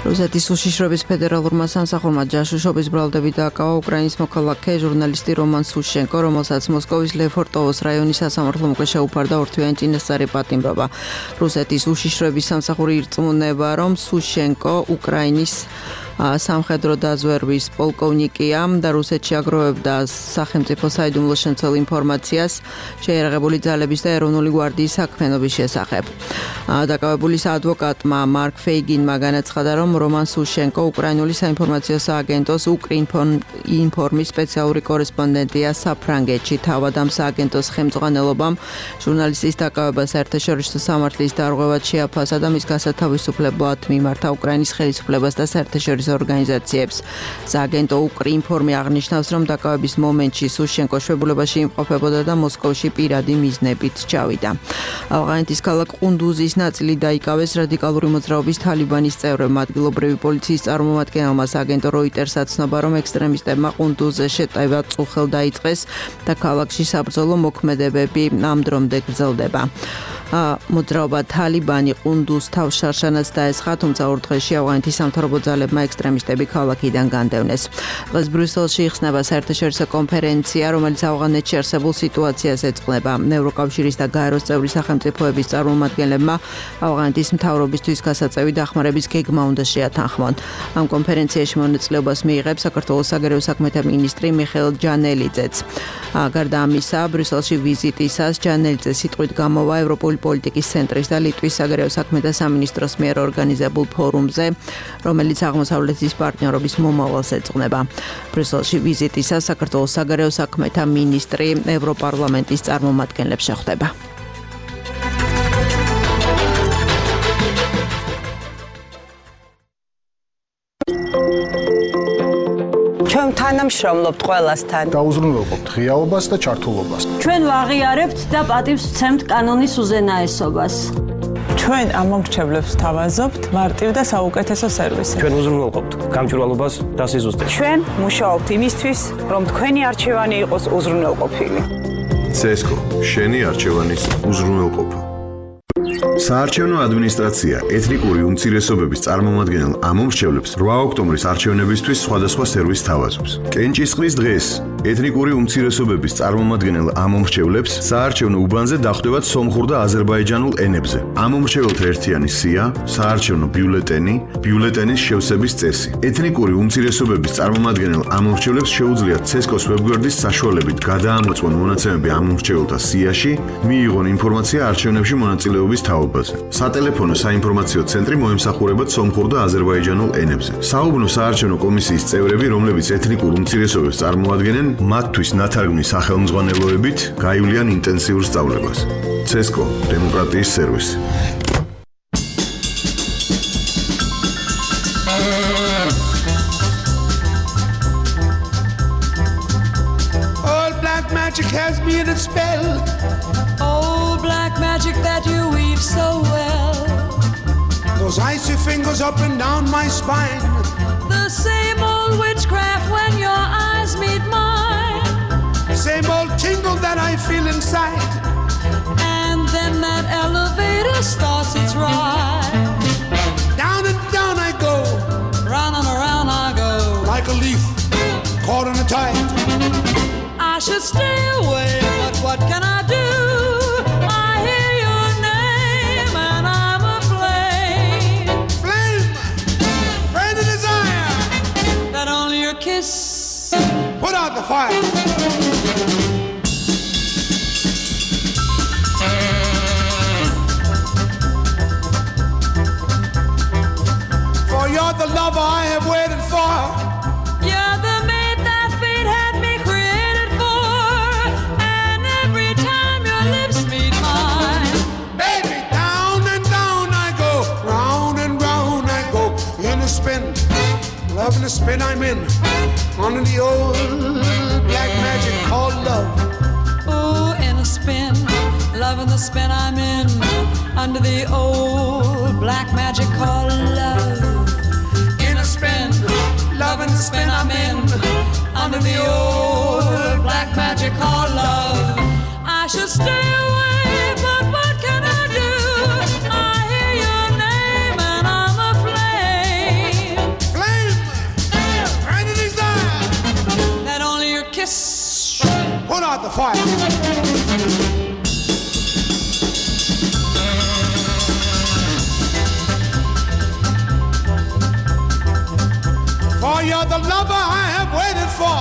რუსეთის უშიშროების ფედერალურმა სამსახურმა ჯაშუშობის ბრალდები დააკავა უკრაინის მოქალაქე ჟურნალისტი რომან სუშენკო, რომელსაც მოსკოვის ლეფორტოვოს რაიონის სასამართლომ უკვე შეუფარდა ორთვიანი წინასწარი პატიმრობა. რუსეთის უშიშროების სამსახური ირწმუნება, რომ სუშენკო უკრაინის სამხედრო დაზვერვის პოლკოვნიკია და რუსეთში აგროვებდა სახელმწიფო საიდუმლო შემცველ ინფორმაციას შეიარაღებული ძალების და ეროვნული გვარდიის საქმიანობის შესახებ. დაკავებულის ადვოკატმა მარკ ფეიგინმა განაცხადა, რომ რომან სუშენკო უკრაინული საინფორმაციო სააგენტოს უკრინფორმის სპეციალური კორესპონდენტია საფრანგეთში. თავად ამ სააგენტოს ხელმძღვანელობამ ჟურნალისტის დაკავება საერთაშორისო სამართლის დარღვევად შეაფასა და მის გასათავისუფლებლად მიმართა უკრაინის ხელისუფლებას და საერთაშორისო ორგანიზაციებს. სააგენტო უკრინფორმი აღნიშნავს, რომ დაკავების მომენტში სუშენკო შვებულებაში იმყოფებოდა და მოსკოვში პირადი მიზნებით ჩავიდა. ავღანეთის ქალაქ ყუნდუზის ნაწილი დაიკავეს რადიკალური მოძრაობის თალიბანის წევრებმა. ადგილობრივი პოლიციის წარმომადგენელმა სააგენტო როიტერსაც ცნობა, რომ ექსტრემისტებმა ყუნდუზზე შეტევა წუხელ დაიწყეს და ქალაქში საბრძოლო მოქმედებები ამ დრომდე გრძელდება. მოძრაობა თალიბანი ყუნდუზს თავშარშანაც დაესხა, თუმცა ორ დღეში ავღანეთის სამთავრობო ძალებმა ექსტრემისტები ქალაქიდან განდევნეს. დღეს ბრიუსელში იხსნება საერთაშორისო კონფერენცია, რომელიც ავღანეთში არსებულ სიტუაციას ეძღვნება. ევროკავშირის და გაეროს წევრი სახელმწიფოების წარმომადგენლებმა ავღანეთის მთავრობისთვის გასაწევი დახმარების გეგმა უნდა შეათანხმონ. ამ კონფერენციაში მონაწილეობას მიიღებს საქართველოს საგარეო საქმეთა მინისტრი მიხეილ ჯანელიძეც. გარდა ამისა, ბრიუსელში ვიზიტისას ჯანელიძე სიტყვით გამოვა ევროპული პოლიტიკის ცენტრის და ლიტვის საგარეო საქმეთა სამინისტროს მიერ ორგანიზებულ ფორუმზე, რომელიც აღმოსავლეთის პარტნიორობის მომავალს ეძღვნება. ბრიუსელში ვიზიტისას საქართველოს საგარეო საქმეთა მინისტრი ევროპარლამენტის წარმომადგენლებს შეხვდება. ჩვენ თანამშრომლობთ ყველასთან. დაუზრუნველყოფთ ღიაობას და ჩართულობას. ჩვენ ვაღიარებთ და პატივს ვცემთ კანონის უზენაესობას. ჩვენ ამომრჩევლებს ვთავაზობთ მარტივ და საუკეთესო სერვისი. ჩვენ უზრუნველყოფთ გამჭვირვალობას და სიზუსტეს. ჩვენ მუშაობთ იმისთვის, რომ თქვენი არჩევანი იყოს უზრუნველყოფილი. CESCO შენი არჩევანის უზრუნველყოფა. საარჩევნო ადმინისტრაცია ეთნიკური უმცირესობების წარმომადგენელ ამომრჩევლებს 8 ოქტომბრის არჩევნებისთვის სხვადასხვა სერვისს თავაზობს. კენჭისყრის დღეს ეთნიკური უმცირესობების წარმომადგენელ ამომრჩევლებს საარჩევნო უბანზე დახვდებათ სომხურ და აზერბაიჯანულ ენებზე. ამომრჩეველთა ერთიანი სია, საარჩევნო ბიულეტენი, ბიულეტენის შევსების წესი. ეთნიკური უმცირესობების წარმომადგენელ ამომრჩევლებს შეუძლიათ CESCO-s ვებგვერდის საშუალებით გადაამოწმონ მონაცემები ამომრჩეველთა სიაში, მიიღონ ინფორმაცია არჩევნებში მონაწილეობის თაობაზე. სატელეფონო საინფორმაციო ცენტრი მოემსახურებათ სომხურ და აზერბაიჯანულ ენებზე. საუბნო საარჩევნო კომისიის წევრები, რომლებიც ეთნიკურ უმცირესობებს წარმოადგენენ, მათთვის ნათარგმნის სახელმძღვანელოებით გაივლიან ინტენსიურ სწავლებას. CESCO დემოკრატიის სერვისი. All black magic has me in a spell. Oh, black magic that you weave so well. Those icy fingers up and down my spine. The same old witchcraft when your eyes meet mine. Same old tingle that I feel inside. And then that elevator starts its ride. Down and down I go. Round and around I go. Like a leaf caught in a tide. I should stay away, but what can I do? I hear your name and I'm aflame. Flame, burn the desire that only your kiss put out the fire. For you're the lover I have waited for. loving the spin I'm in, under the old black magic called love. In a spin, loving the spin I'm in, under the old black magic called love. I should stay away, but what can I do? I hear your name and I'm aflame. Flame! Right in his eye! That only your kiss put out the fire. For you're the lover I have waited for.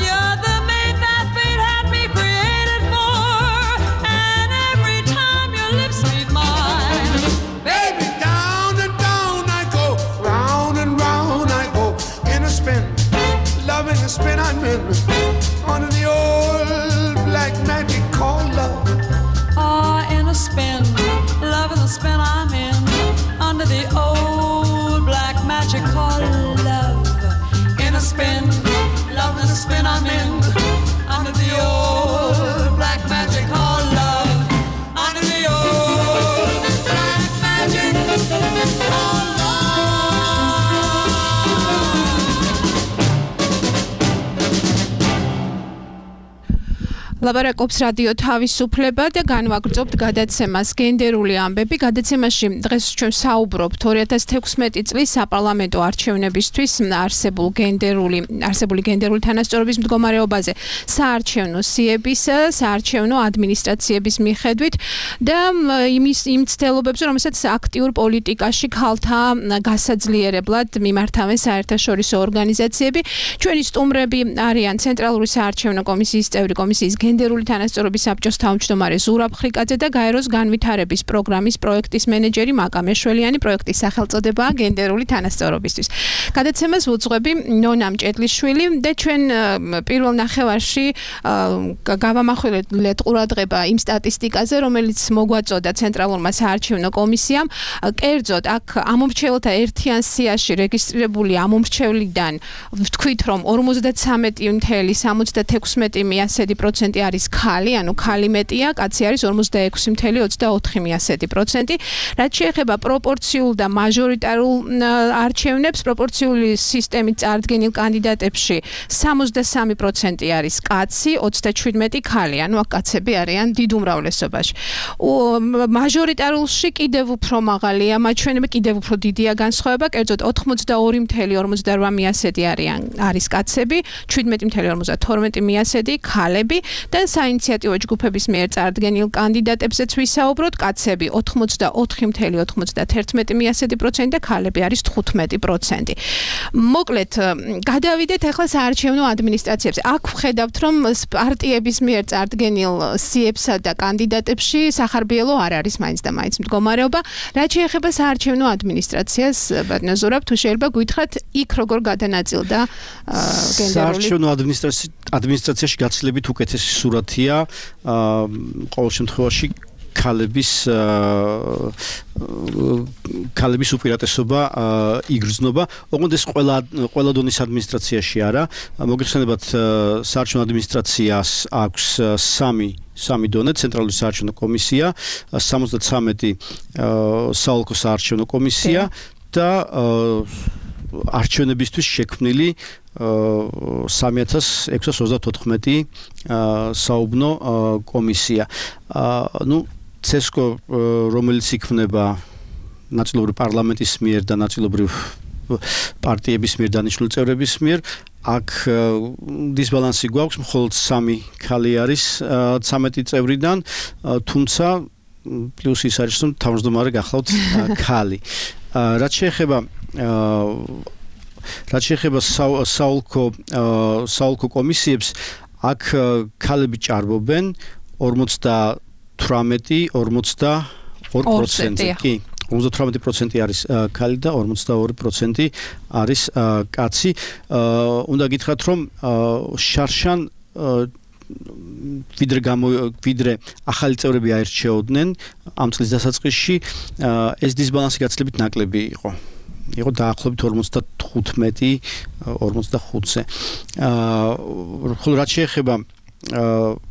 You're the mate that fate had me created for. And every time your lips meet mine, Baby, down and down I go, round and round I go, in a spin, loving the spin I'm in, under the old black magic called love. in a spin, loving the spin I'm in, under the old black magic called love. In a spin, loving the spin I'm in, under the old black magic called love. Under the old black magic called ლაპარაკობს რადიო თავისუფლება და განვაგრძობთ გადაცემას გენდერული ამბები. გადაცემაში დღეს ჩვენ საუბრობთ 2016 წლის საპარლამენტო არჩევნებისთვის არსებული გენდერული თანასწორობის მდგომარეობაზე საარჩევნო სიების, საარჩევნო ადმინისტრაციების მიხედვით და იმ ცდელობებზე, რომელსაც აქტიურ პოლიტიკაში ქალთა გასაძლიერებლად მიმართავენ საერთაშორისო ორგანიზაციები. ჩვენი სტუმრები არიან ცენტრალური საარჩევნო კომისიის წევრი კომისიის გენდერული თანასწორობის საბჭოს თავმჯდომარე ზურაბ ხრიკაძე და გაეროს განვითარების პროგრამის პროექტის მენეჯერი მაკა მეშველიანი. პროექტის სახელწოდებაა გენდერული თანასწორობისთვის. გადაცემას უძღვები ნონა მჭედლიშვილი და ჩვენ პირველ ნახევარში გავამახვილეთ ყურადღება იმ სტატისტიკაზე, რომელიც მოგვაწოდა ცენტრალურმა საარჩევნო კომისიამ. კერძოდ, აქ ამომრჩეველთა ერთიან სიაში რეგისტრირებული ამომრჩევლიდან ვთქვით, რომ 53.76% არის ქალი, ანუ ქალი მეტია, კაცი არის 46.24%. რაც შეეხება პროპორციულ და მაჟორიტარულ არჩევნებს, პროპორციული სისტემით წარდგენილ კანდიდატებში 63% არის კაცი, 27 ქალი, ანუ აქ კაცები არიან დიდ უმრავლესობაში. მაჟორიტარულში კიდევ უფრო მაღალია მაჩვენებები, კიდევ უფრო დიდია განსხვავება, კერძოდ 82.58% არის კაცები, 17.52% ქალები. და საინიციატივო ჯგუფების მიერ წარდგენილ კანდიდატებზეც ვისაუბროთ, კაცები 84.91% და ქალები არის 15%. მოკლედ, გადავიდეთ ახლა საარჩევნო ადმინისტრაციებზე. აქ ვხედავთ, რომ პარტიების მიერ წარდგენილ სიებსა და კანდიდატებში სახარბიელო არ არის მაინც და მაინც მდგომარეობა. რაც შეეხება საარჩევნო ადმინისტრაციას, ბატონო ზურაბ, თუ შეიძლება გითხრათ, იქ როგორ გადანაწილდა გენდერული საარჩევნო ადმინისტრაციაში გაცილებით უკეთესი სურათია ყოველ შემთხვევაში ქალების უპირატესობა იგრძნობა. ოღონდ ეს ყველა დონის ადმინისტრაციაში არა. მოგეხსენებათ, საარჩევნო ადმინისტრაციას აქვს სამი დონე, ცენტრალური საარჩევნო კომისია, 73 საოლქო საარჩევნო კომისია და არჩევნებისთვის შექმნილი 3634 საუბნო კომისია. ცესკო, რომელიც იქმნება ნაწილობრივ პარლამენტის მიერ და ნაწილობრივ პარტიების მიერ დანიშნული წევრების მიერ, აქ დისბალანსი გვაქვს, მხოლოდ 3 ქალი არის 13 წევრიდან, თუმცა პლუსი ის არის, რომ თავმჯდომარე გახლავთ ქალი. რაც შეეხება საოლქო კომისიებს, აქ ქალები ჭარბობენ 58-42%. კი, 58% არის ქალი და 42% არის კაცი. უნდა გითხრათ, რომ შარშან ვიდრე ახალი წევრები აირჩეოდნენ ამ წლის დასაწყისში, ეს დისბალანსი გაცილებით ნაკლები იყო. იყო დაახლოებით 45-45-ზე. ხოლო რაც შეეხება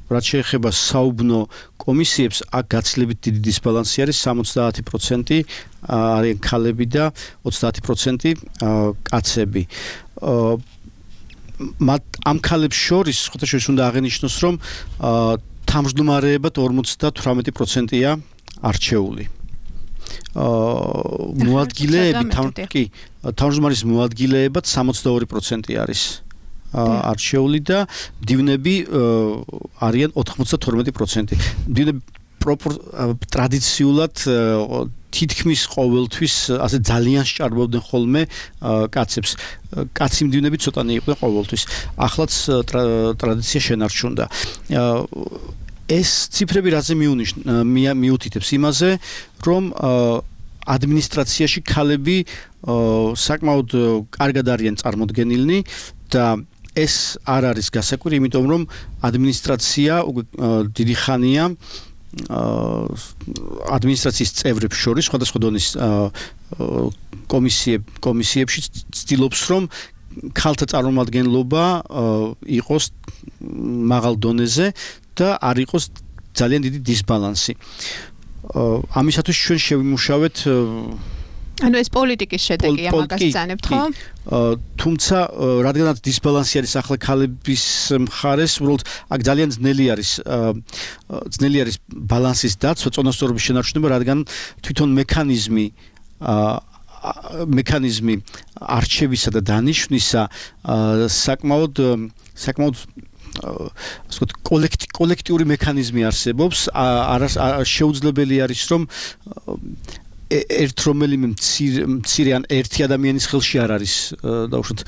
რაც შეეხება საუბნო კომისიებს, აქ გაცილებით დიდი დისბალანსი არის 70% არიან ქალები და 30% კაცები. ამ ქალებს შორის ხოთაშორის უნდა აღენიშნოს, რომ თავმჯდომარეებად 58%-ია არჩეული. მოადგილეები თავმჯდომარის მოადგილეებად 62% არის არჩეული და მდივნები არიან 92%. მდივნები ტრადიციულად თითქმის ყოველთვის ასე ძალიან სჭარბობდნენ ხოლმე კაცებს. კაცი მდივნები ცოტანი იყვნენ ყოველთვის. ახლაც ტრადიცია შენარჩუნდა. ეს ციფრები რაზე მიუთითებს იმაზე, რომ ადმინისტრაციაში ქალები საკმაოდ კარგად არიან წარმოდგენილნი და ეს არ არის გასაკვირი, იმიტომ რომ ადმინისტრაცია დიდი ხანია ადმინისტრაციის წევრებს შორის სხვადასხვა დონის კომისიებში ცდილობს, რომ ქალთა წარმომადგენლობა იყოს მაღალ დონეზე და არ იყოს ძალიან დიდი დისბალანსი. ამისათვის ჩვენ შევიმუშავეთ ანუ ეს პოლიტიკის შედეგია, მაგას ვწანებთ, ხო? თუმცა რადგანაც დისბალანსი არის ახლა ქალების მხარეს, უბრალოდ აქ ძალიან ძნელი არის ბალანსის დაცვა, წონასწორობის შენარჩუნება, რადგან თვითონ მექანიზმი არჩევისა და დანიშვნისა საკმაოდ კოლექტიური მექანიზმი არსებობს. შეუძლებელი არის, რომ ერთ რომელიმე მცირე ან ერთი ადამიანის ხელში არ არის დაუშვათ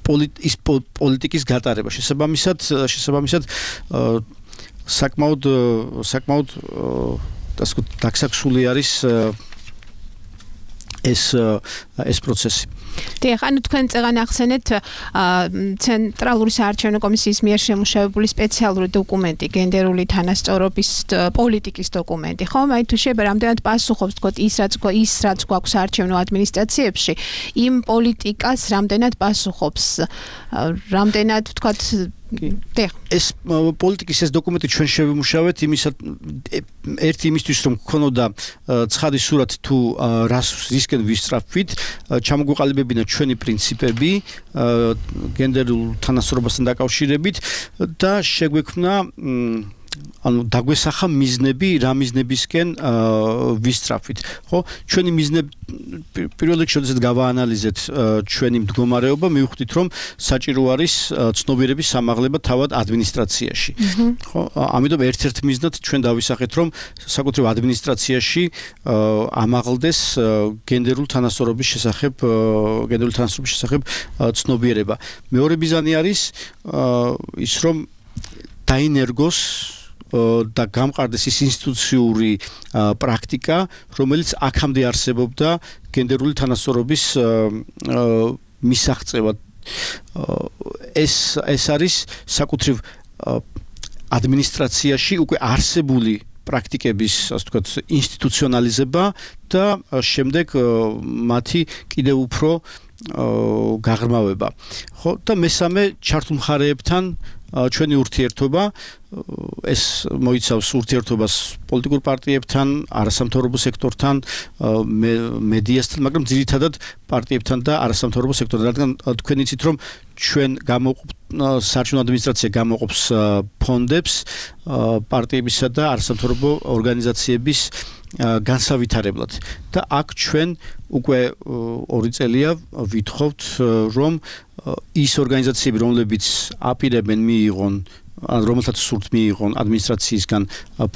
პოლიტიკის გატარება. შესაბამისად საკმაოდ დაგსაქსული არის ეს პროცესი. დიახ, ანუ თქვენ წეგან ახსენეთ ცენტრალური საარჩევნო კომისიის მიერ შემუშავებული სპეციალური დოკუმენტი, გენდერული თანასწორობის პოლიტიკის დოკუმენტი, ხო? აი თუ შეიძლება რამდენად პასუხობს თქო ის რაც გვაქვს საარჩევნო ადმინისტრაციებში, იმ პოლიტიკას რამდენად პასუხობს, რამდენად თქვა ეს პოლიტიკის ეს დოკუმენტი ჩვენ შევიმუშავეთ იმისთვის რომ გქონოდა ცხადი სურათი თუ რისკენ ვისწრაფვით, ჩამოგვიყალიბებინა ჩვენი პრინციპები გენდერულ თანასწორობასთან დაკავშირებით და შეგვექმნა ანუ დაგვესახა მიზნები, რა მიზნებისკენ ვისწრაფვით, ხო? ჩვენი მიზნები პირველ რიგში შესაძლოა გავაანალიზეთ ჩვენი მდგომარეობა, მივხვდით რომ საჭირო არის ცნობიერების სამაღლება თავად ადმინისტრაციაში. ხო? ამიტომ ერთ-ერთ მიზნად ჩვენ დავისახეთ რომ საკუთრივ ადმინისტრაციაში ამაღლდეს გენდერული თანასწორობის შესახებ ცნობიერება. მეორე მიზანი არის ის რომ დაინერგოს და გამყარდეს ის ინსტიტუციური პრაქტიკა, რომელიც აქამდე არსებობდა გენდერული თანასწორობის მისაღწევად. ეს არის საკუთრივ ადმინისტრაციაში უკვე არსებული პრაქტიკების, ასე ვთქვათ, ინსტიტუციონალიზება და შემდეგ მათი კიდევ უფრო გაღრმავება. ხო, და მესამე ჩართულ მხარეებთან ჩვენი ურთიერთობა, ეს მოიცავს ურთიერთობას პოლიტიკურ პარტიებთან, არასამთავრობო სექტორთან, მედიასთან, მაგრამ ძირითადად პარტიებთან და არასამთავრობო სექტორთან, რადგან თქვენ იცით რომ ჩვენ საარჩევნო ადმინისტრაცია გამოყოფს ფონდებს პარტიებისა და არასამთავრობო ორგანიზაციების განსავითარებლად და აქ ჩვენ უკვე 2 წელია ვითხოვთ რომ ის ორგანიზაციები რომლებიც აპირებენ მიიღონ რომელთაც სურთ მიიღონ ადმინისტრაციისგან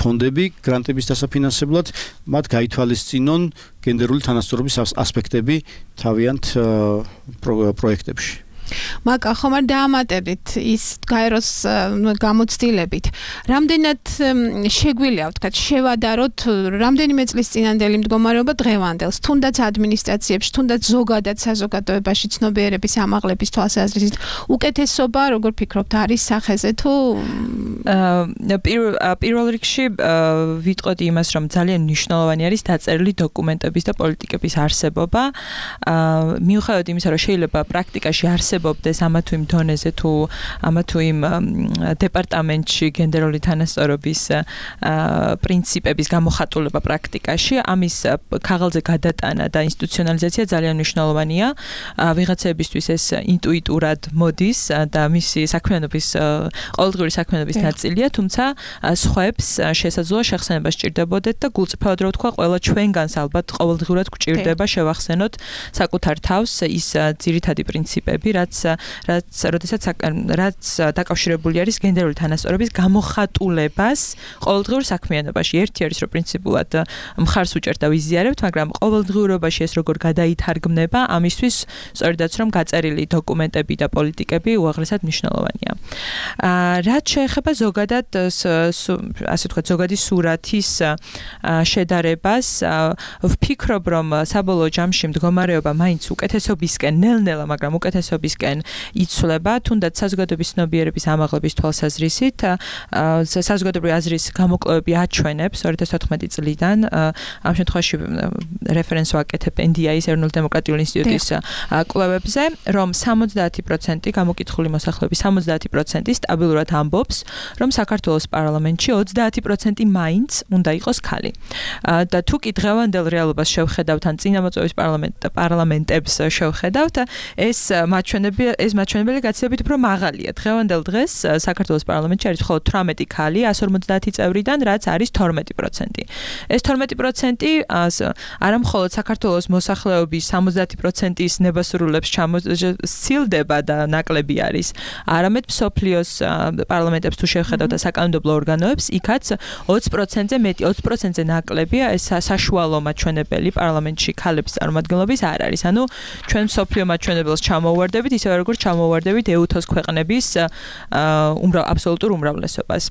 ფონდები გრანტების დასაფინანსებლად მათ გაითვალისწინონ გენდერული თანასწორობის ასპექტები თავიანთ პროექტებში მაგა ხომ არ დაამატებით ის გაეროს გამოცდილებით. რამდენად შეგვიძლია ვთქვათ შევადაროთ რამდენიმე წლის წინანდელი მდგომარეობა დღევანდელს, თუნდაც ადმინისტრაციებში, თუნდაც ზოგადად საზოგადოებაში ცნობიერების ამაღლების თვალსაზრისით უკეთესობა, როგორ ფიქრობთ, არის სახეზე თუ პირველ რიგში ვიტყოდი იმას, რომ ძალიან მნიშვნელოვანი არის დაწერილი დოკუმენტების და პოლიტიკების არსებობა. მიუხედავად იმისა, რომ შეიძლება პრაქტიკაში არსებობს არსებობდეს ამა თუ იმ დონეზე თუ ამა თუ იმ დეპარტამენტში გენდერული თანასწორობის პრინციპების გამოხატულება პრაქტიკაში, ამის ქაღალდზე გადატანა და ინსტიტუციონალიზაცია ძალიან მნიშვნელოვანია. ვიღაცებისთვის ეს ინტუიტურად მოდის და მისი საქმიანობის ყოველდღიური საქმიანობის ნაწილია, თუმცა სხვებს შესაძლოა შეხსენება სჭირდებოდეთ და გულწრფელად რო ვთქვა, ყველა ჩვენგანს ალბათ ყოველდღურად გვჭირდება შევახსენოთ საკუთარ თავს ის ძირითადი პრინციპები, რაც დაკავშირებული არის გენდერული თანასწორობის გამოხატულებას ყოველდღიურ საქმიანობაში. ერთი არის რომ პრინციპულად მხარს უჭერთ და ვიზიარებთ, მაგრამ ყოველდღიურობაში ეს როგორ გადაითარგმნება, ამისთვის სწორედაც რომ გაწერილი დოკუმენტები და პოლიტიკები უაღრესად მნიშვნელოვანია. რაც შეეხება ზოგადად ასე ვთქვათ, ზოგადი სურათის შედარებას, ვფიქრობ, რომ საბოლოო ჯამში მდგომარეობა მაინც უკეთესობისკენ, ნელ-ნელა, მაგრამ უკეთესობისკენ იცვლება, თუნდაც საზოგადოების ცნობიერების ამაღლების თვალსაზრისით. საზოგადოებრივი აზრის გამოკვლევები აჩვენებს 2014 წლიდან, ამ შემთხვევაში რეფერენს ვაკეთებ NDI-ის ეროვნული დემოკრატიული ინსტიტუტის კვლევებზე, რომ 70% გამოკითხული მოსახლეობის 70% სტაბილურად ამბობს, რომ საქართველოს პარლამენტში 30% მაინც უნდა იყოს ქალი. და თუ კი დღევანდელ რეალობას შევხედავთ, ან წინამოწვევის პარლამენტებს შევხედავთ, ეს მაჩვენებელი გაცილებით უფრო მაღალია. დღევანდელ დღეს საქართველოს პარლამენტში არის მხოლოდ 18 ქალი 150 წევრიდან, რაც არის 12%. ეს 12% არა მხოლოდ საქართველოს მოსახლეობის 70%-ის ნებასრულებს სცილდება და ნაკლები არის, არამედ მსოფლიოს პარლამენტებს თუ შევხედავთ და საკანონმდებლო ორგანოებს, იქაც 20%-ზე მეტი, 20%-ზე ნაკლებია ეს საშუალო მაჩვენებელი პარლამენტში ქალების წარმომადგენლობის არ არის. ანუ ჩვენ მსოფლიო მაჩვენებელს ჩამოვარდებით, ისევე როგორც ჩამოვარდებით EU-ს ქვეყნების აბსოლუტურ უმრავლესობას.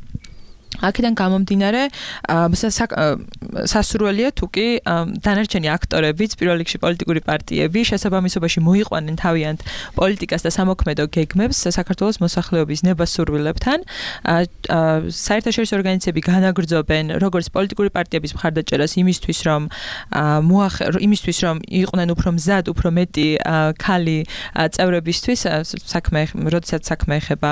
აქედან გამომდინარე, სასურველია თუ კი დანარჩენი აქტორებიც, პირველ რიგში პოლიტიკური პარტიები შესაბამისობაში მოიყვანენ თავიანთ პოლიტიკას და სამოქმედო გეგმებს საქართველოს მოსახლეობის ნებასურვილებთან. საერთაშორისო ორგანიზაციები განაგრძობენ როგორც პოლიტიკური პარტიების მხარდაჭერას იმისთვის, რომ იყვნენ უფრო მზად, უფრო მეტი ქალი წევრებისთვის, როდესაც საქმე ეხება